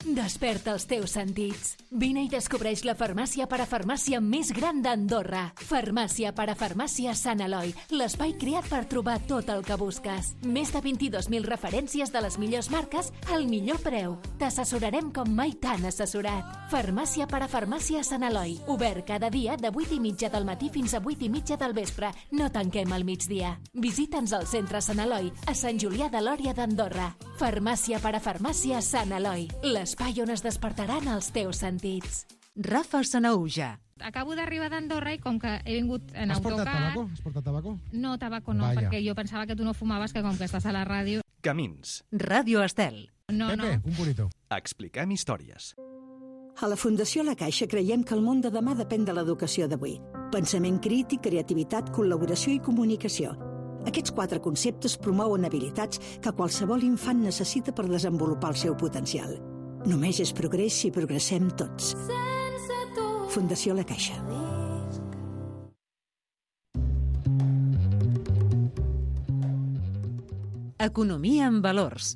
Desperta els teus sentits. Vine i descobreix la farmàcia parafarmàcia més gran d'Andorra. Farmàcia parafarmàcia Sant Eloi, l'espai creat per trobar tot el que busques. Més de 22.000 referències de les millors marques al millor preu. T'assessorarem com mai t'han assessorat. Farmàcia parafarmàcia Sant Eloi, obert cada dia de 8:30 del matí fins a 8:30 del vespre. No tanquem al migdia. Visita'ns al centre Sant Eloi, a Sant Julià de Lòria d'Andorra. Farmàcia parafarmàcia Sant Eloi, l'espai on es despertaran els teus sentits. Rafa Sanauja. Acabo d'arribar d'Andorra i com que he vingut en autocar... Has portat tabaco? No, tabaco no, Vaya. perquè jo pensava que tu no fumaves, que com que estàs a la ràdio... Camins. Ràdio Estel. No, Pepe, un purito. Expliquem històries. A la Fundació La Caixa creiem que el món de demà depèn de l'educació d'avui. Pensament crític, creativitat, col·laboració i comunicació. Aquests 4 conceptes promouen habilitats que qualsevol infant necessita per desenvolupar el seu potencial. Només és progrés si progressem tots. Fundació La Caixa. Economia en valors.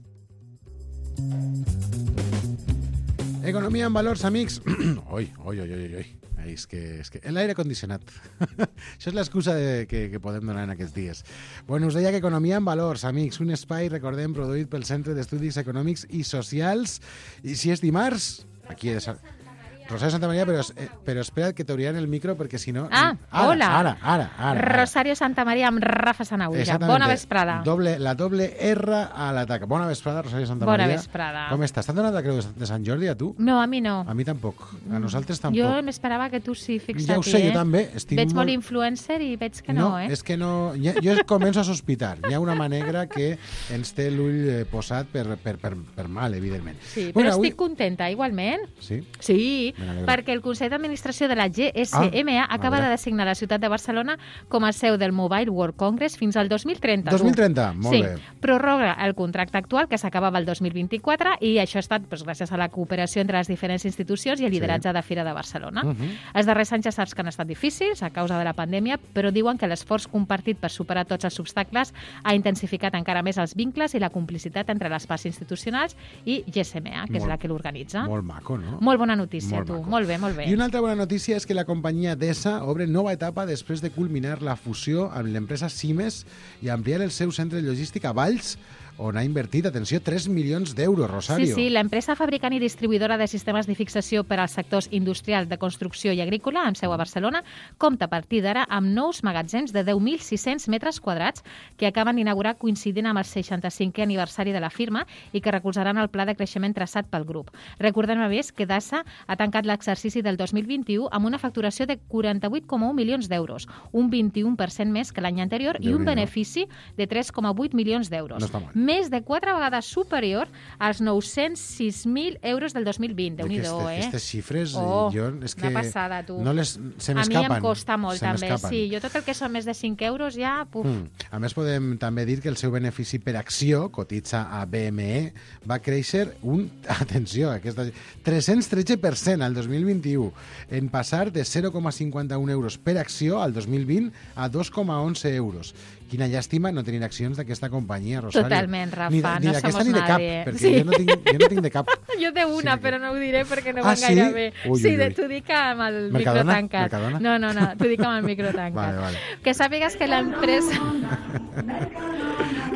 Economia en valors, amics. Oi. És que l'aire condicionat. Això és l'excusa que podem donar en aquests dies. Bueno, us deia que Economia en valors, amics, un espai, recordem, produït pel Centre d'Estudis Econòmics i Socials. I si és dimarts, aquí és... Rosario Santamaría, però espera't que t'obriran el micro perquè si no... Hola. Ara. Rosario Santamaría amb Rafa Sanauja. Bona vesprada. La doble R a l'atac. Bona vesprada, Rosario Santamaría. Bona vesprada. Com estàs? T'han donat la creu de Sant Jordi, a tu? No, a mi no. A mi tampoc. A nosaltres tampoc. Jo m'esperava que tu sí, fixa't. Ja ho sé, jo també. Veig molt influencer i veig que no, eh? És que no... Jo començo a sospitar. Hi ha una mà negra que ens té l'ull posat per mal, evidentment. Sí, però estic contenta, igualment. Sí? Sí, perquè el Consell d'Administració de la GSMA acaba de designar la ciutat de Barcelona com a seu del Mobile World Congress fins al 2030. 2030, molt bé. Prorroga el contracte actual que s'acabava el 2024 i això ha estat gràcies a la cooperació entre les diferents institucions i el lideratge de Fira de Barcelona. Els darrers anys ja saps que han estat difícils a causa de la pandèmia, però diuen que l'esforç compartit per superar tots els obstacles ha intensificat encara més els vincles i la complicitat entre les parts institucionals i GSMA, que és la que l'organitza. Molt maco, no? Molt bona notícia, tu. Molt bé. I una altra bona notícia és que la companyia DESA obre nova etapa després de culminar la fusió amb l'empresa Siemens i ampliar el seu centre logístic a Valls, on ha invertit, atenció, 3 milions d'euros, Rosario. Sí, l'empresa fabricant i distribuïdora de sistemes de fixació per als sectors industrial, de construcció i agrícola, amb seu a Barcelona, compta a partir d'ara amb nous magatzems de 10.600 metres quadrats que acaben d'inaugurar coincidint amb el 65è aniversari de la firma i que recolzaran el pla de creixement traçat pel grup. Recordem a més que DASA ha tancat l'exercici del 2021 amb una facturació de 48,1 milions d'euros, un 21% més que l'any anterior i un benefici de 3,8 milions d'euros. No està mal. Més de 4 vegades superior als 906.000 euros del 2020. Déu-n'hi-do, Aquestes xifres, jo... És que una passada, tu. Se m'escapen. A mi em costa molt, també. Sí, jo tot el que són més de 5 euros ja... A més, podem també dir que el seu benefici per acció, cotitza a BME, va créixer atenció, 313% al 2021, en passar de 0,51 euros per acció al 2020 a 2,11 euros. Quina llàstima no tenir accions d'aquesta companyia, Rosario. Totalment, Rafa, ni no d'aquesta somos ni de cap, nadie. perquè jo no tinc de cap. Jo de una, però no ho diré perquè no van sí? gaire bé. Ui. T'ho dic amb el Mercadona? micro tancat. Mercadona? No, t'ho dic amb el micro tancat. Vale. Que sàpigues que l'empresa...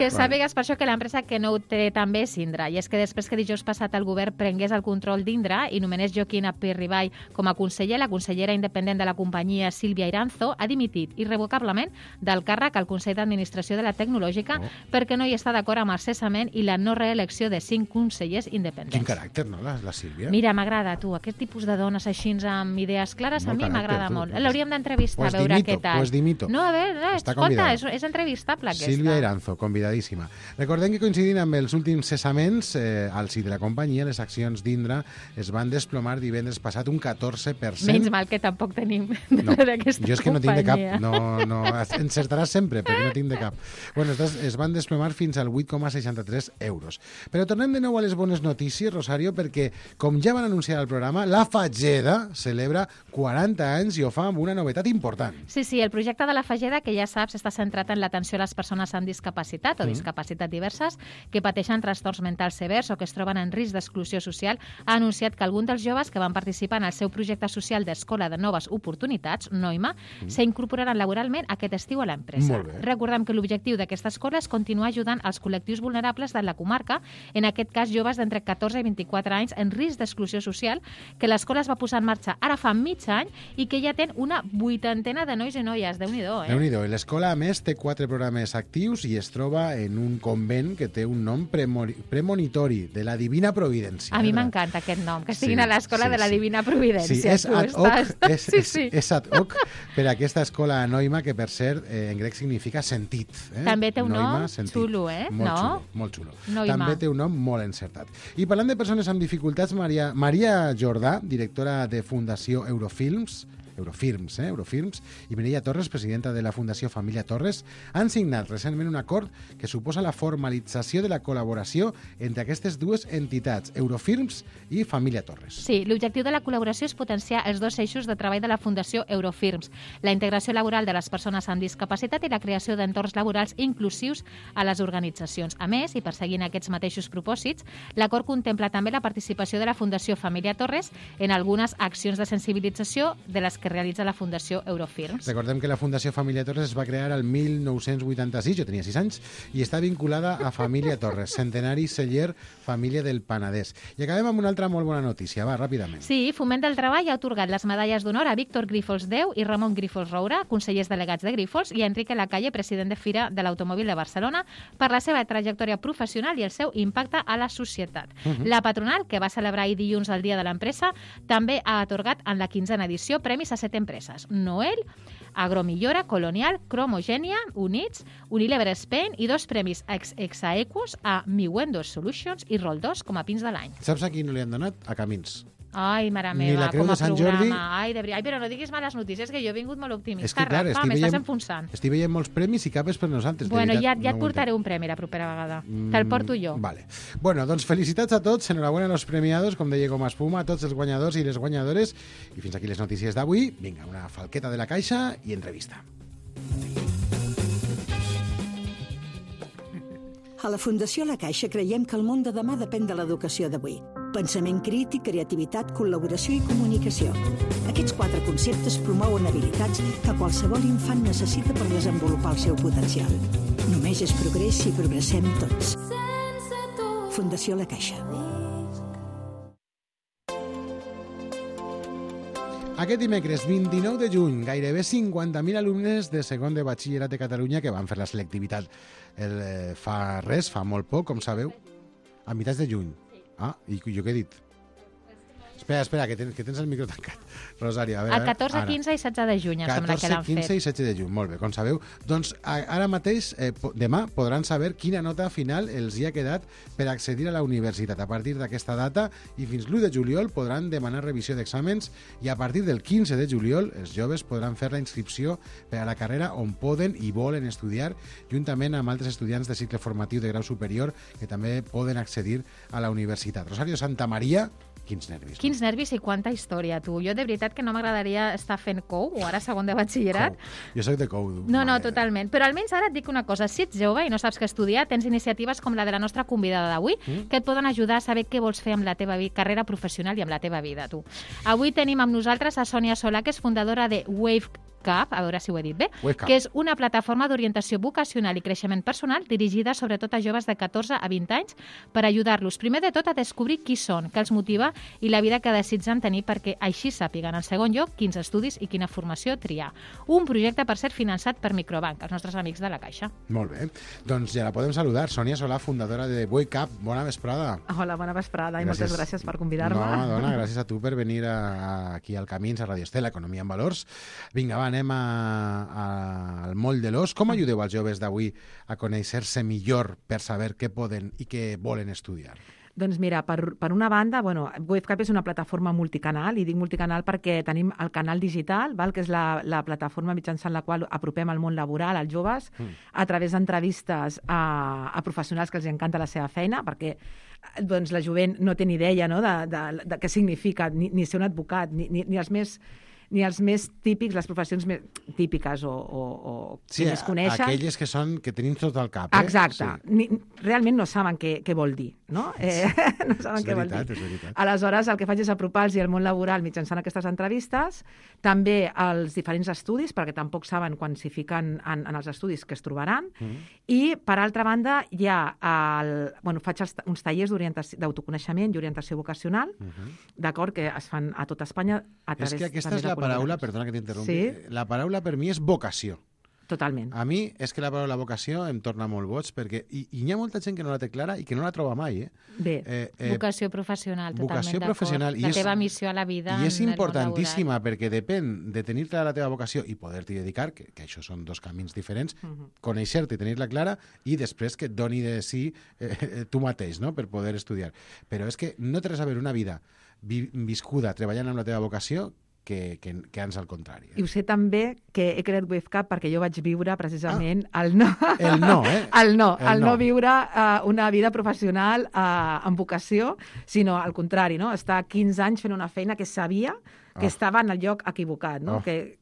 Que sàpigues per això que l'empresa que no ho té també és Indra, i és que després que dijous passat el govern prengués el control d'Indra i nomenés Joaquín Apirribay com a conseller, la consellera independent de la companyia Sílvia Iranzo ha dimitit irrevocablement del càrrec al Consell d'Administració de la Tecnològica perquè no hi està d'acord amb el cessament i la no reelecció de 5 consellers independents. Quin caràcter, no, la Sílvia? Mira, m'agrada, tu, aquest tipus de dones així amb idees clares a mi m'agrada molt. L'hauríem d'entrevistar, a veure què tal. Pues dimito. No, a veure, escolta, és entrevistable aquesta. Sílvia Iranzo, convidadíssima. Recordem que coincidint amb els últims cessaments al si de la companyia, les accions d'Indra es van desplomar divendres passat un 14%. Menys mal que tampoc tenim d'aquesta companyia. Jo és que no tinc de cap. No, encertaràs sempre, però no tinc de cap. Bueno, es van desplomar fins al 8,63 euros. Però tornem de nou a les bones notícies, Rosario, perquè, com ja van anunciar al programa, la Fageda celebra 40 anys i ho fa amb una novetat important. Sí, el projecte de la Fageda, que ja saps, està centrat en l'atenció a les persones amb discapacitat o discapacitat diverses que pateixen trastorns mentals severs o que es troben en risc d'exclusió social, ha anunciat que alguns dels joves que van participar en el seu projecte social d'Escola de Noves Oportunitats, Noima, s'incorporaran laboralment aquest estiu a l'empresa. Recordem que l'objectiu d'aquesta escola és continuar ajudant els col·lectius vulnerables de la comarca, en aquest cas joves d'entre 14 i 24 anys en risc d'exclusió social, que l'escola es va posar en marxa ara fa mig any i que ja ten una 80ena de nois i noies. Déu-n'hi-do, Déu-n'hi-do. L'escola, a més, té 4 programes actius i es troba en un convent que té un nom premonitori, de la Divina Providència. A mi m'encanta aquest nom, que estiguin a l'escola de la Divina Providència. Sí, és ad hoc, és ad hoc per a aquesta escola Noima, que per cert en grec significa sentit. També té un nom xulo, Molt xulo. Noima. També té un nom molt encertat. I parlant de persones amb dificultats, Maria Jordà, directora de Fundació Eurofilms, i Mireia Torres, presidenta de la Fundació Família Torres, han signat recentment un acord que suposa la formalització de la col·laboració entre aquestes dues entitats, Eurofilms i Família Torres. Sí, l'objectiu de la col·laboració és potenciar els dos eixos de treball de la Fundació Eurofilms, la integració laboral de les persones amb discapacitat i la creació d'entorns laborals inclusius a les organitzacions. A més, i perseguint aquests mateixos propòsits, l'acord contempla també la participació de la Fundació Família Torres en algunes accions de sensibilització de les que realitza la Fundació Eurofilms. Recordem que la Fundació Família Torres es va crear el 1986, jo tenia 6 anys, i està vinculada a Família Torres, centenari celler Família del Penedès. I acabem amb una altra molt bona notícia, va, ràpidament. Sí, Foment del Treball ha atorgat les medalles d'honor a Víctor Grífols Déu i Ramon Grífols Roura, consellers delegats de Grífols, i a Enrique Lacalle, president de Fira de l'Automòbil de Barcelona, per la seva trajectòria professional i el seu impacte a la societat. La patronal, que va celebrar ahir dilluns el Dia de l'Empresa, també ha atorgat en la 15a edició premis a 7 empreses: Noel, Agromillora, Colonial, Cromogènia, Units, Unilever Spain i 2 premis Exaequus a Miwendo Solutions i Roll2 com a pins de l'any. Saps a qui no li han donat? A Camins. Ai, mare meva, ni la Creu com a de Sant programa. Jordi... Ai, però no diguis males notícies, que jo he vingut molt optimista. És que, clar, m'estàs enfonsant. Estic veient molts premis i cap és per nosaltres. Bueno, ja et portaré un premi la propera vegada. Te'l porto jo. Vale. Bueno, doncs felicitats a tots, enhorabuena a los premiados, com deia Goma Espuma, a tots els guanyadors i les guanyadores. I fins aquí les notícies d'avui. Vinga, una falqueta de la caixa i entrevista. A la Fundació La Caixa creiem que el món de demà depèn de l'educació d'avui. Pensament crític, creativitat, col·laboració i comunicació. Aquests 4 conceptes promouen habilitats que qualsevol infant necessita per desenvolupar el seu potencial. Només és progrés si progressem tots. Fundació La Caixa. Aquest dimecres 29 de juny, gairebé 50.000 alumnes de segon de batxillerat de Catalunya que van fer la selectivitat fa molt poc, com sabeu, a meitats de juny. Ah, i jo què he dit? Espera, que tens el micro tancat. Rosario, a veure... El 14, 15 i 16 de juny, em sembla que l'han fet. 14, 15 i 16 de juny, molt bé, com sabeu. Doncs ara mateix, demà, podran saber quina nota final els hi ha quedat per accedir a la universitat. A partir d'aquesta data i fins l'1 de juliol podran demanar revisió d'exàmens i a partir del 15 de juliol els joves podran fer la inscripció per a la carrera on poden i volen estudiar, juntament amb altres estudiants de cicle formatiu de grau superior que també poden accedir a la universitat. Rosario Santamaría, quins nervis. Quins nervis i quanta història, tu. Jo de veritat que no m'agradaria estar fent COU, o ara segon de batxillerat. Jo soc de COU. No, totalment. Però almenys ara et dic una cosa. Si ets jove i no saps què estudiar, tens iniciatives com la de la nostra convidada d'avui, que et poden ajudar a saber què vols fer amb la teva carrera professional i amb la teva vida, tu. Avui tenim amb nosaltres a Sònia Solà, que és fundadora de Wave WakeUp, a veure si ho he dit bé, WakeUp. que és una plataforma d'orientació vocacional i creixement personal dirigida sobretot a joves de 14 a 20 anys per ajudar-los, primer de tot, a descobrir qui són, què els motiva i la vida que desitgen tenir perquè així sàpiguen, en segon lloc, quins estudis i quina formació triar. Un projecte, per ser finançat per Microbank, els nostres amics de la Caixa. Molt bé. Doncs ja la podem saludar. Sònia Solà, fundadora de WakeUp. Bona vesprada. Hola, bona vesprada i moltes gràcies per convidar-me. No, dona, gràcies a tu per venir aquí al Camins, a Radio Estel, Economia en Valors. Vinga, va, anem al moll de l'os. Com ajudeu als joves d'avui a conèixer-se millor per saber què poden i què volen estudiar? Doncs mira, per una banda, WakeUp és una plataforma multicanal, i dic multicanal perquè tenim el canal digital, que és la plataforma mitjançant la qual apropem el món laboral als joves a través d'entrevistes a professionals que els encanta la seva feina, perquè doncs, la jovent no té ni idea, no, de què significa ni ser un advocat, ni els més típics, les professions més típiques o sí, que més coneixen. Aquelles que tenim tot al cap. Exacte. Sí. Realment no saben què vol dir. No? No saben què vol dir. És veritat. Aleshores, el que faig és apropar-los al món laboral mitjançant aquestes entrevistes, també als diferents estudis, perquè tampoc saben quan s'hi fiquen en els estudis que es trobaran, i, per altra banda, hi ha faig uns tallers d'autoconeixement i orientació vocacional, d'acord, que es fan a tot Espanya a través... És que aquesta és la paraula, perdona que t'interrompi, la paraula per mi és vocació. Totalment. A mi és que la paraula vocació em torna molt boig, perquè hi ha molta gent que no la té clara i que no la troba mai. Bé. Vocació professional, totalment d'acord. La teva missió a la vida. I és importantíssima, perquè depèn de tenir clara la teva vocació i poder-t'hi dedicar, que això són dos camins diferents, conèixer-te i tenir-la clara, i després que et doni de si tu mateix, no?, per poder estudiar. Però és que no té res a veure una vida viscuda treballant amb la teva vocació que ans al contrari. I ho sé també que he creat WakeUp perquè jo vaig viure precisament el no viure una vida professional amb vocació, sinó al contrari, no? Estar 15 anys fent una feina que sabia que estava en el lloc equivocat, no?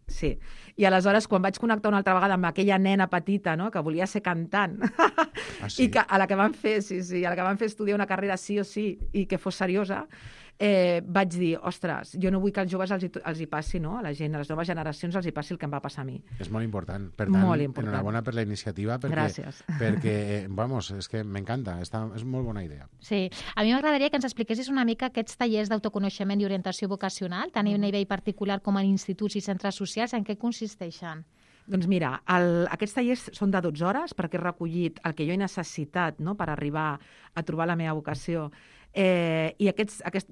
Sí. I aleshores, quan vaig connectar una altra vegada amb aquella nena petita, no?, que volia ser cantant, i a la que van fer estudiar una carrera sí o sí i que fos seriosa, vaig dir, ostres, jo no vull que als joves els hi passi, no?, a la gent, a les noves generacions els hi passi el que em va passar a mi. És molt important. Per tant, enhorabona per la iniciativa, perquè vamos, és que m'encanta, és molt bona idea. Sí, a mi m'agradaria que ens expliquessis una mica aquests tallers d'autoconeixement i orientació vocacional, tant a nivell particular com en instituts i centres socials, en què consisteixen? Doncs mira, aquests tallers són de 12 hores perquè he recollit el que jo he necessitat, no?, per arribar a trobar la meva vocació. I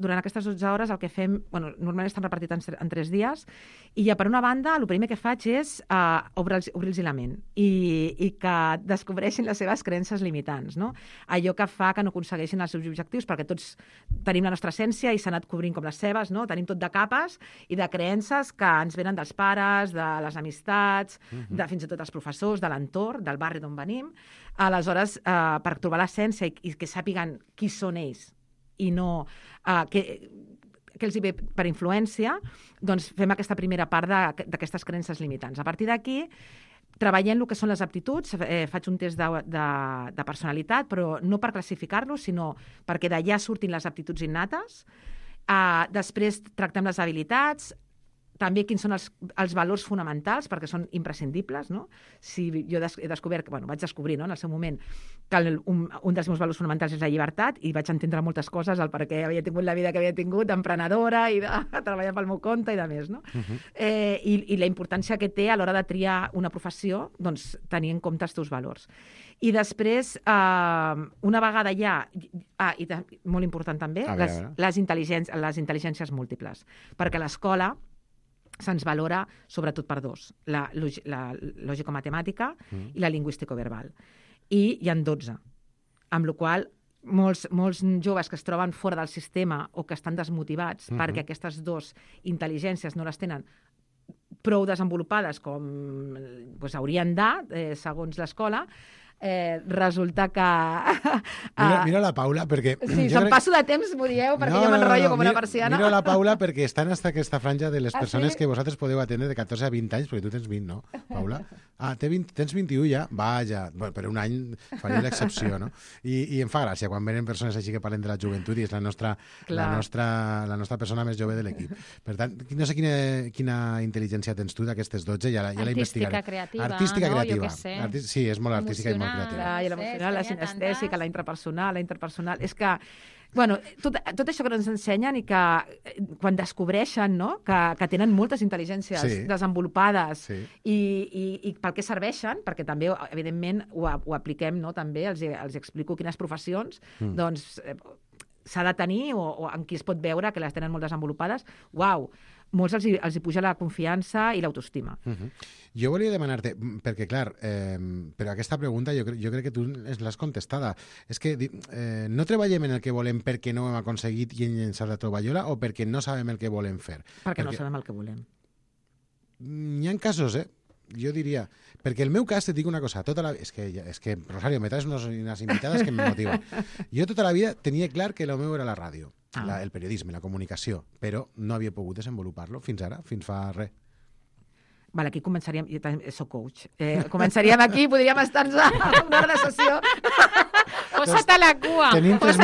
durant aquestes 12 hores el que fem, normalment estan repartits en 3 dies, i ja per una banda el primer que faig és obrir-los la ment i que descobreixin les seves creences limitants, no? Allò que fa que no aconsegueixin els seus objectius, perquè tots tenim la nostra essència i s'ha anat cobrint com les seves, no? Tenim tot de capes i de creences que ens venen dels pares, de les amistats, de fins i tot els professors, de l'entorn, del barri d'on venim. Aleshores, per trobar l'essència i que sàpiguen qui són ells i no que els hi ve per influència, doncs fem aquesta primera part d'aquestes creences limitants. A partir d'aquí, treballem el que són les aptituds, faig un test de personalitat, però no per classificar-los, sinó perquè d'allà surtin les aptituds innates. Després tractem les habilitats, també quins són els valors fonamentals, perquè són imprescindibles, no? Si jo he descobert, vaig descobrir, no?, en el seu moment, que un dels meus valors fonamentals és la llibertat, i vaig entendre moltes coses, el perquè havia tingut la vida que havia tingut, d'emprenedora i de treballar pel meu compte i de més, no? I la importància que té a l'hora de triar una professió, doncs, tenir en compte els teus valors. I després, una vegada ja, i molt important també, les intel·ligències múltiples, perquè a l'escola se'ns valora sobretot per 2, la lògico-matemàtica i la lingüístico-verbal. I hi ha 12, amb la qual molts joves que es troben fora del sistema o que estan desmotivats perquè aquestes 2 intel·ligències no les tenen prou desenvolupades com haurien de, segons l'escola, resulta que... Mira la Paula, perquè... Sí, se'm passo de temps, m'ho dieu, perquè jo m'enrotllo com una persiana. Mira la Paula, perquè està en aquesta franja de les persones que vosaltres podeu atendre de 14 a 20 anys, perquè tu tens 20, no, Paula? Tens 21 ja? Vaja, bueno, per un any faria l'excepció, no? I em fa gràcia quan venen persones així que parlen de la joventut i és la nostra persona més jove de l'equip. Per tant, no sé quina intel·ligència tens tu d'aquestes 12, ja la investigaré. Artística creativa. Sí, és molt artística i molt creativa. I l'emocional, la sinestèsica, la interpersonal. És que, bueno, tot això que ens ensenyen i que quan descobreixen, no?, que tenen moltes intel·ligències desenvolupades i pel que serveixen, perquè també, evidentment, ho apliquem, no?, també, els explico quines professions, doncs s'ha de tenir o en qui es pot veure que les tenen molt desenvolupades. Uau! Molts els hi puja la confiança i l'autoestima. Jo volia demanar-te, perquè clar, però aquesta pregunta jo crec que tu l'has contestada. És que no treballem en el que volem perquè no ho hem aconseguit i hem llençat la tovallola o perquè no sabem el que volem fer? Perquè no sabem el que volem. Hi ha casos, jo diria, perquè el meu cas, et dic una cosa, és que Rosario, me traes unes invitades que me motiven. Jo tota la vida tenia clar que el meu era la ràdio, el periodisme, la comunicació, però no havia pogut desenvolupar-lo fins ara, fins fa res. Vale, aquí començaríem... Jo també soc coach. Començaríem aquí, podríem estar-nos a una hora de sessió. Posa't a la cua. Tenim 3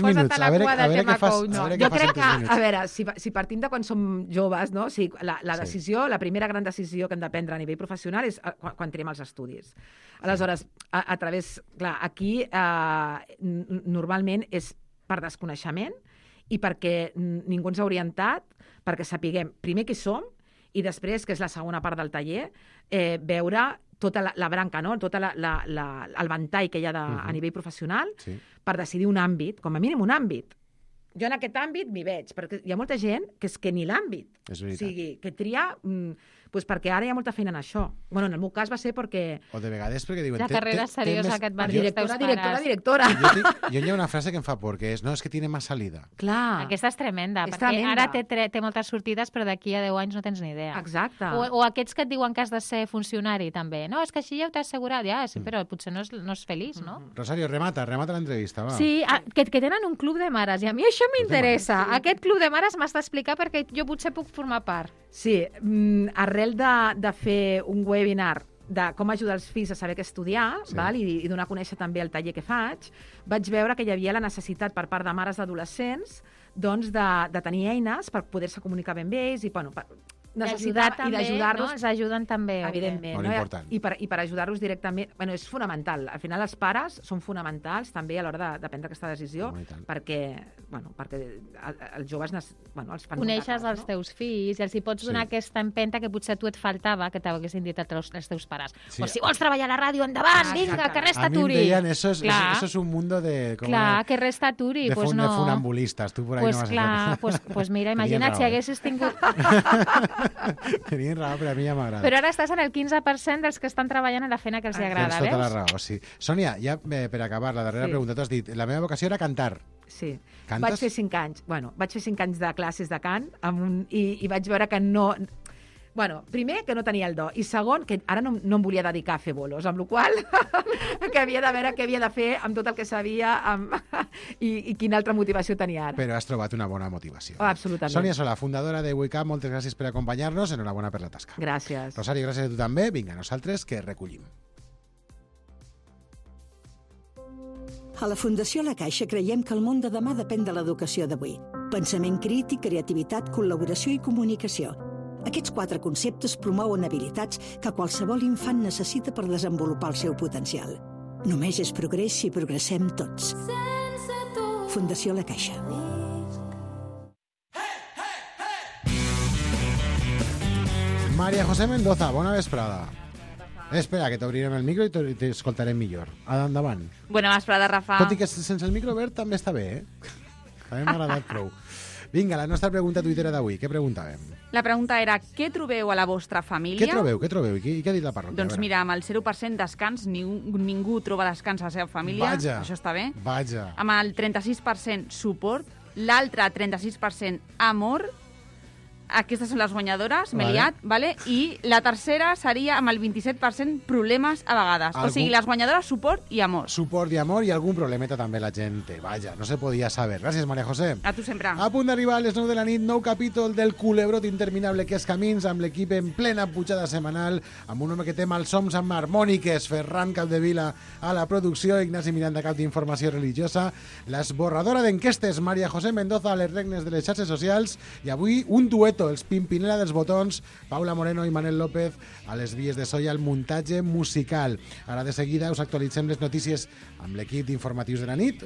minuts. A veure què fas. Jo crec que, a veure, si partim de quan som joves, no? O sigui, la decisió, la primera gran decisió que hem de prendre a nivell professional és quan triem els estudis. Aleshores, a través... Clar, aquí normalment és per desconeixement i perquè ningú ens ha orientat, perquè sapiguem primer qui som i després, que és la segona part del taller, veure tota la branca, no? Tot el ventall que hi ha a nivell professional per decidir un àmbit, com a mínim un àmbit. Jo en aquest àmbit m'hi veig, perquè hi ha molta gent que és que ni l'àmbit. És veritat. O sigui, que tria... perquè ara hi ha molta feina en això. Bueno, en el meu cas va ser perquè... O de vegades perquè diuen... La carrera seriosa que et van dir els teus pares. Directora. Jo hi ha una frase que em fa por, que és, no, és que tiene más salida. Clar. Aquesta és tremenda, perquè ara té moltes sortides, però d'aquí a 10 anys no tens ni idea. Exacte. O aquests que et diuen que has de ser funcionari, també. No, és que així ja ho t'has assegurat. Ja, sí, però potser no és feliç, no? Rosario, remata l'entrevista, va. Sí, que tenen un club de mares, i a mi això m'interessa. Aquest club de mares m'has d'explicar perquè jo potser puc formar part. Sí, arrel de fer un webinar de com ajudar els fills a saber què estudiar i donar a conèixer també el taller que faig, vaig veure que hi havia la necessitat per part de mares d'adolescents doncs, de tenir eines per poder-se comunicar ben bé ells i d'ajudar-los. Els ajuden també. Evidentment. Molt important. I per ajudar-los directament... Bueno, és fonamental. Al final els pares són fonamentals també a l'hora de prendre aquesta decisió perquè els joves els fan... Coneixes els teus fills i els hi pots donar aquesta empenta que potser a tu et faltava que t'haguessin dit els teus pares. O si vols treballar a la ràdio, endavant, vinga, que res t'aturi. A mi em deien, eso es un mundo de... Clar, que res t'aturi. De funambulistes. Tu por ahí no vas a hacer. Pues mira, imagina't si haguessis tingut... Tenien raó, però a mi ja m'agrada. Però ara estàs en el 15% dels que estan treballant en la feina que els agrada, veus? Tens tota la raó, sí. Sònia, ja per acabar, la darrera pregunta. Tu has dit, la meva vocació era cantar. Sí. Cantes? Vaig fer 5 anys. Bueno, vaig fer 5 anys de classes de cant i vaig veure que no... Bueno, primer, que no tenia el do, i segon, que ara no em volia dedicar a fer bolos, amb la qual que havia de veure què havia de fer amb tot el que sabia i quina altra motivació tenia ara. Però has trobat una bona motivació. Absolutament. Sònia Solà, fundadora de WeCap, moltes gràcies per acompanyar-nos, enhorabona per la tasca. Gràcies. Rosario, gràcies a tu també. Vinga, nosaltres que recollim. A la Fundació La Caixa creiem que el món de demà depèn de l'educació d'avui. Pensament crític, creativitat, col·laboració i comunicació. Aquests 4 conceptes promouen habilitats que qualsevol infant necessita per desenvolupar el seu potencial. Només és progrés si progressem tots. Fundació La Caixa. María José Mendoza, bona vesprada. Espera, que t'obrirem el micro i t'escoltarem millor. Endavant. Bona vesprada, Rafa. Tot i que sense el micro obert també està bé, A mi m'ha agradat prou. Vinga, la nostra pregunta tuitera d'avui. Què preguntàvem? La pregunta era, què trobeu a la vostra família? Què trobeu? I què ha dit la parròquia? Doncs mira, amb el 0% descans, ningú troba descans a la seva família. Vaja. Això està bé. Vaja. Amb el 36% suport, l'altre 36% amor, Aquestes són les guanyadores, m'he Vale. liat, vale? I la tercera seria amb el 27% problemes a vegades. O sigui, les guanyadores, suport i amor. Suport i amor i algun problemeta també la gent té. Vaja, no se podia saber. Gràcies, Maria José. A tu sempre. A punt d'arribar a les 9 de la nit, nou capítol del culebrot interminable que és Camins, amb l'equip en plena pujada setmanal, amb un home que té malsons amb harmòniques, Ferran Capdevila a la producció, Ignasi Miranda, cap d'informació religiosa, l'esborradora d'enquestes, Maria José Mendoza, a les regnes de les xarxes socials, i avui un dueto, els Pimpinela dels botons, Paula Moreno i Manel López a les vies de so i al muntatge musical. Ara de seguida us actualitzem les notícies amb l'equip d'informatius de la nit.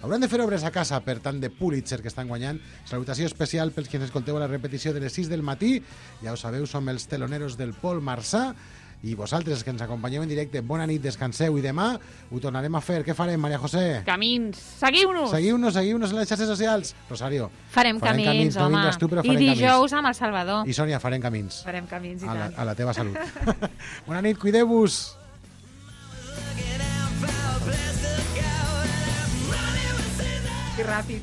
Hauran de fer obres a casa per tant de Pulitzer que estan guanyant. Salutació especial pels que ens escolteu a la repetició de les 6 del matí. Ja ho sabeu, som els teloneros del Pol Marçà. I vosaltres, que ens acompanyeu en directe, bona nit, descanseu, i demà ho tornarem a fer. Què farem, Maria José? Camins. Seguiu-nos! Seguiu-nos a les xarxes socials. Rosario. Farem camins, no home. vindràs tu, però I farem dijous amb el Salvador. I Sònia, farem camins. Farem camins i A tant. la teva salut. Bona nit, cuideu-vos. Que ràpid.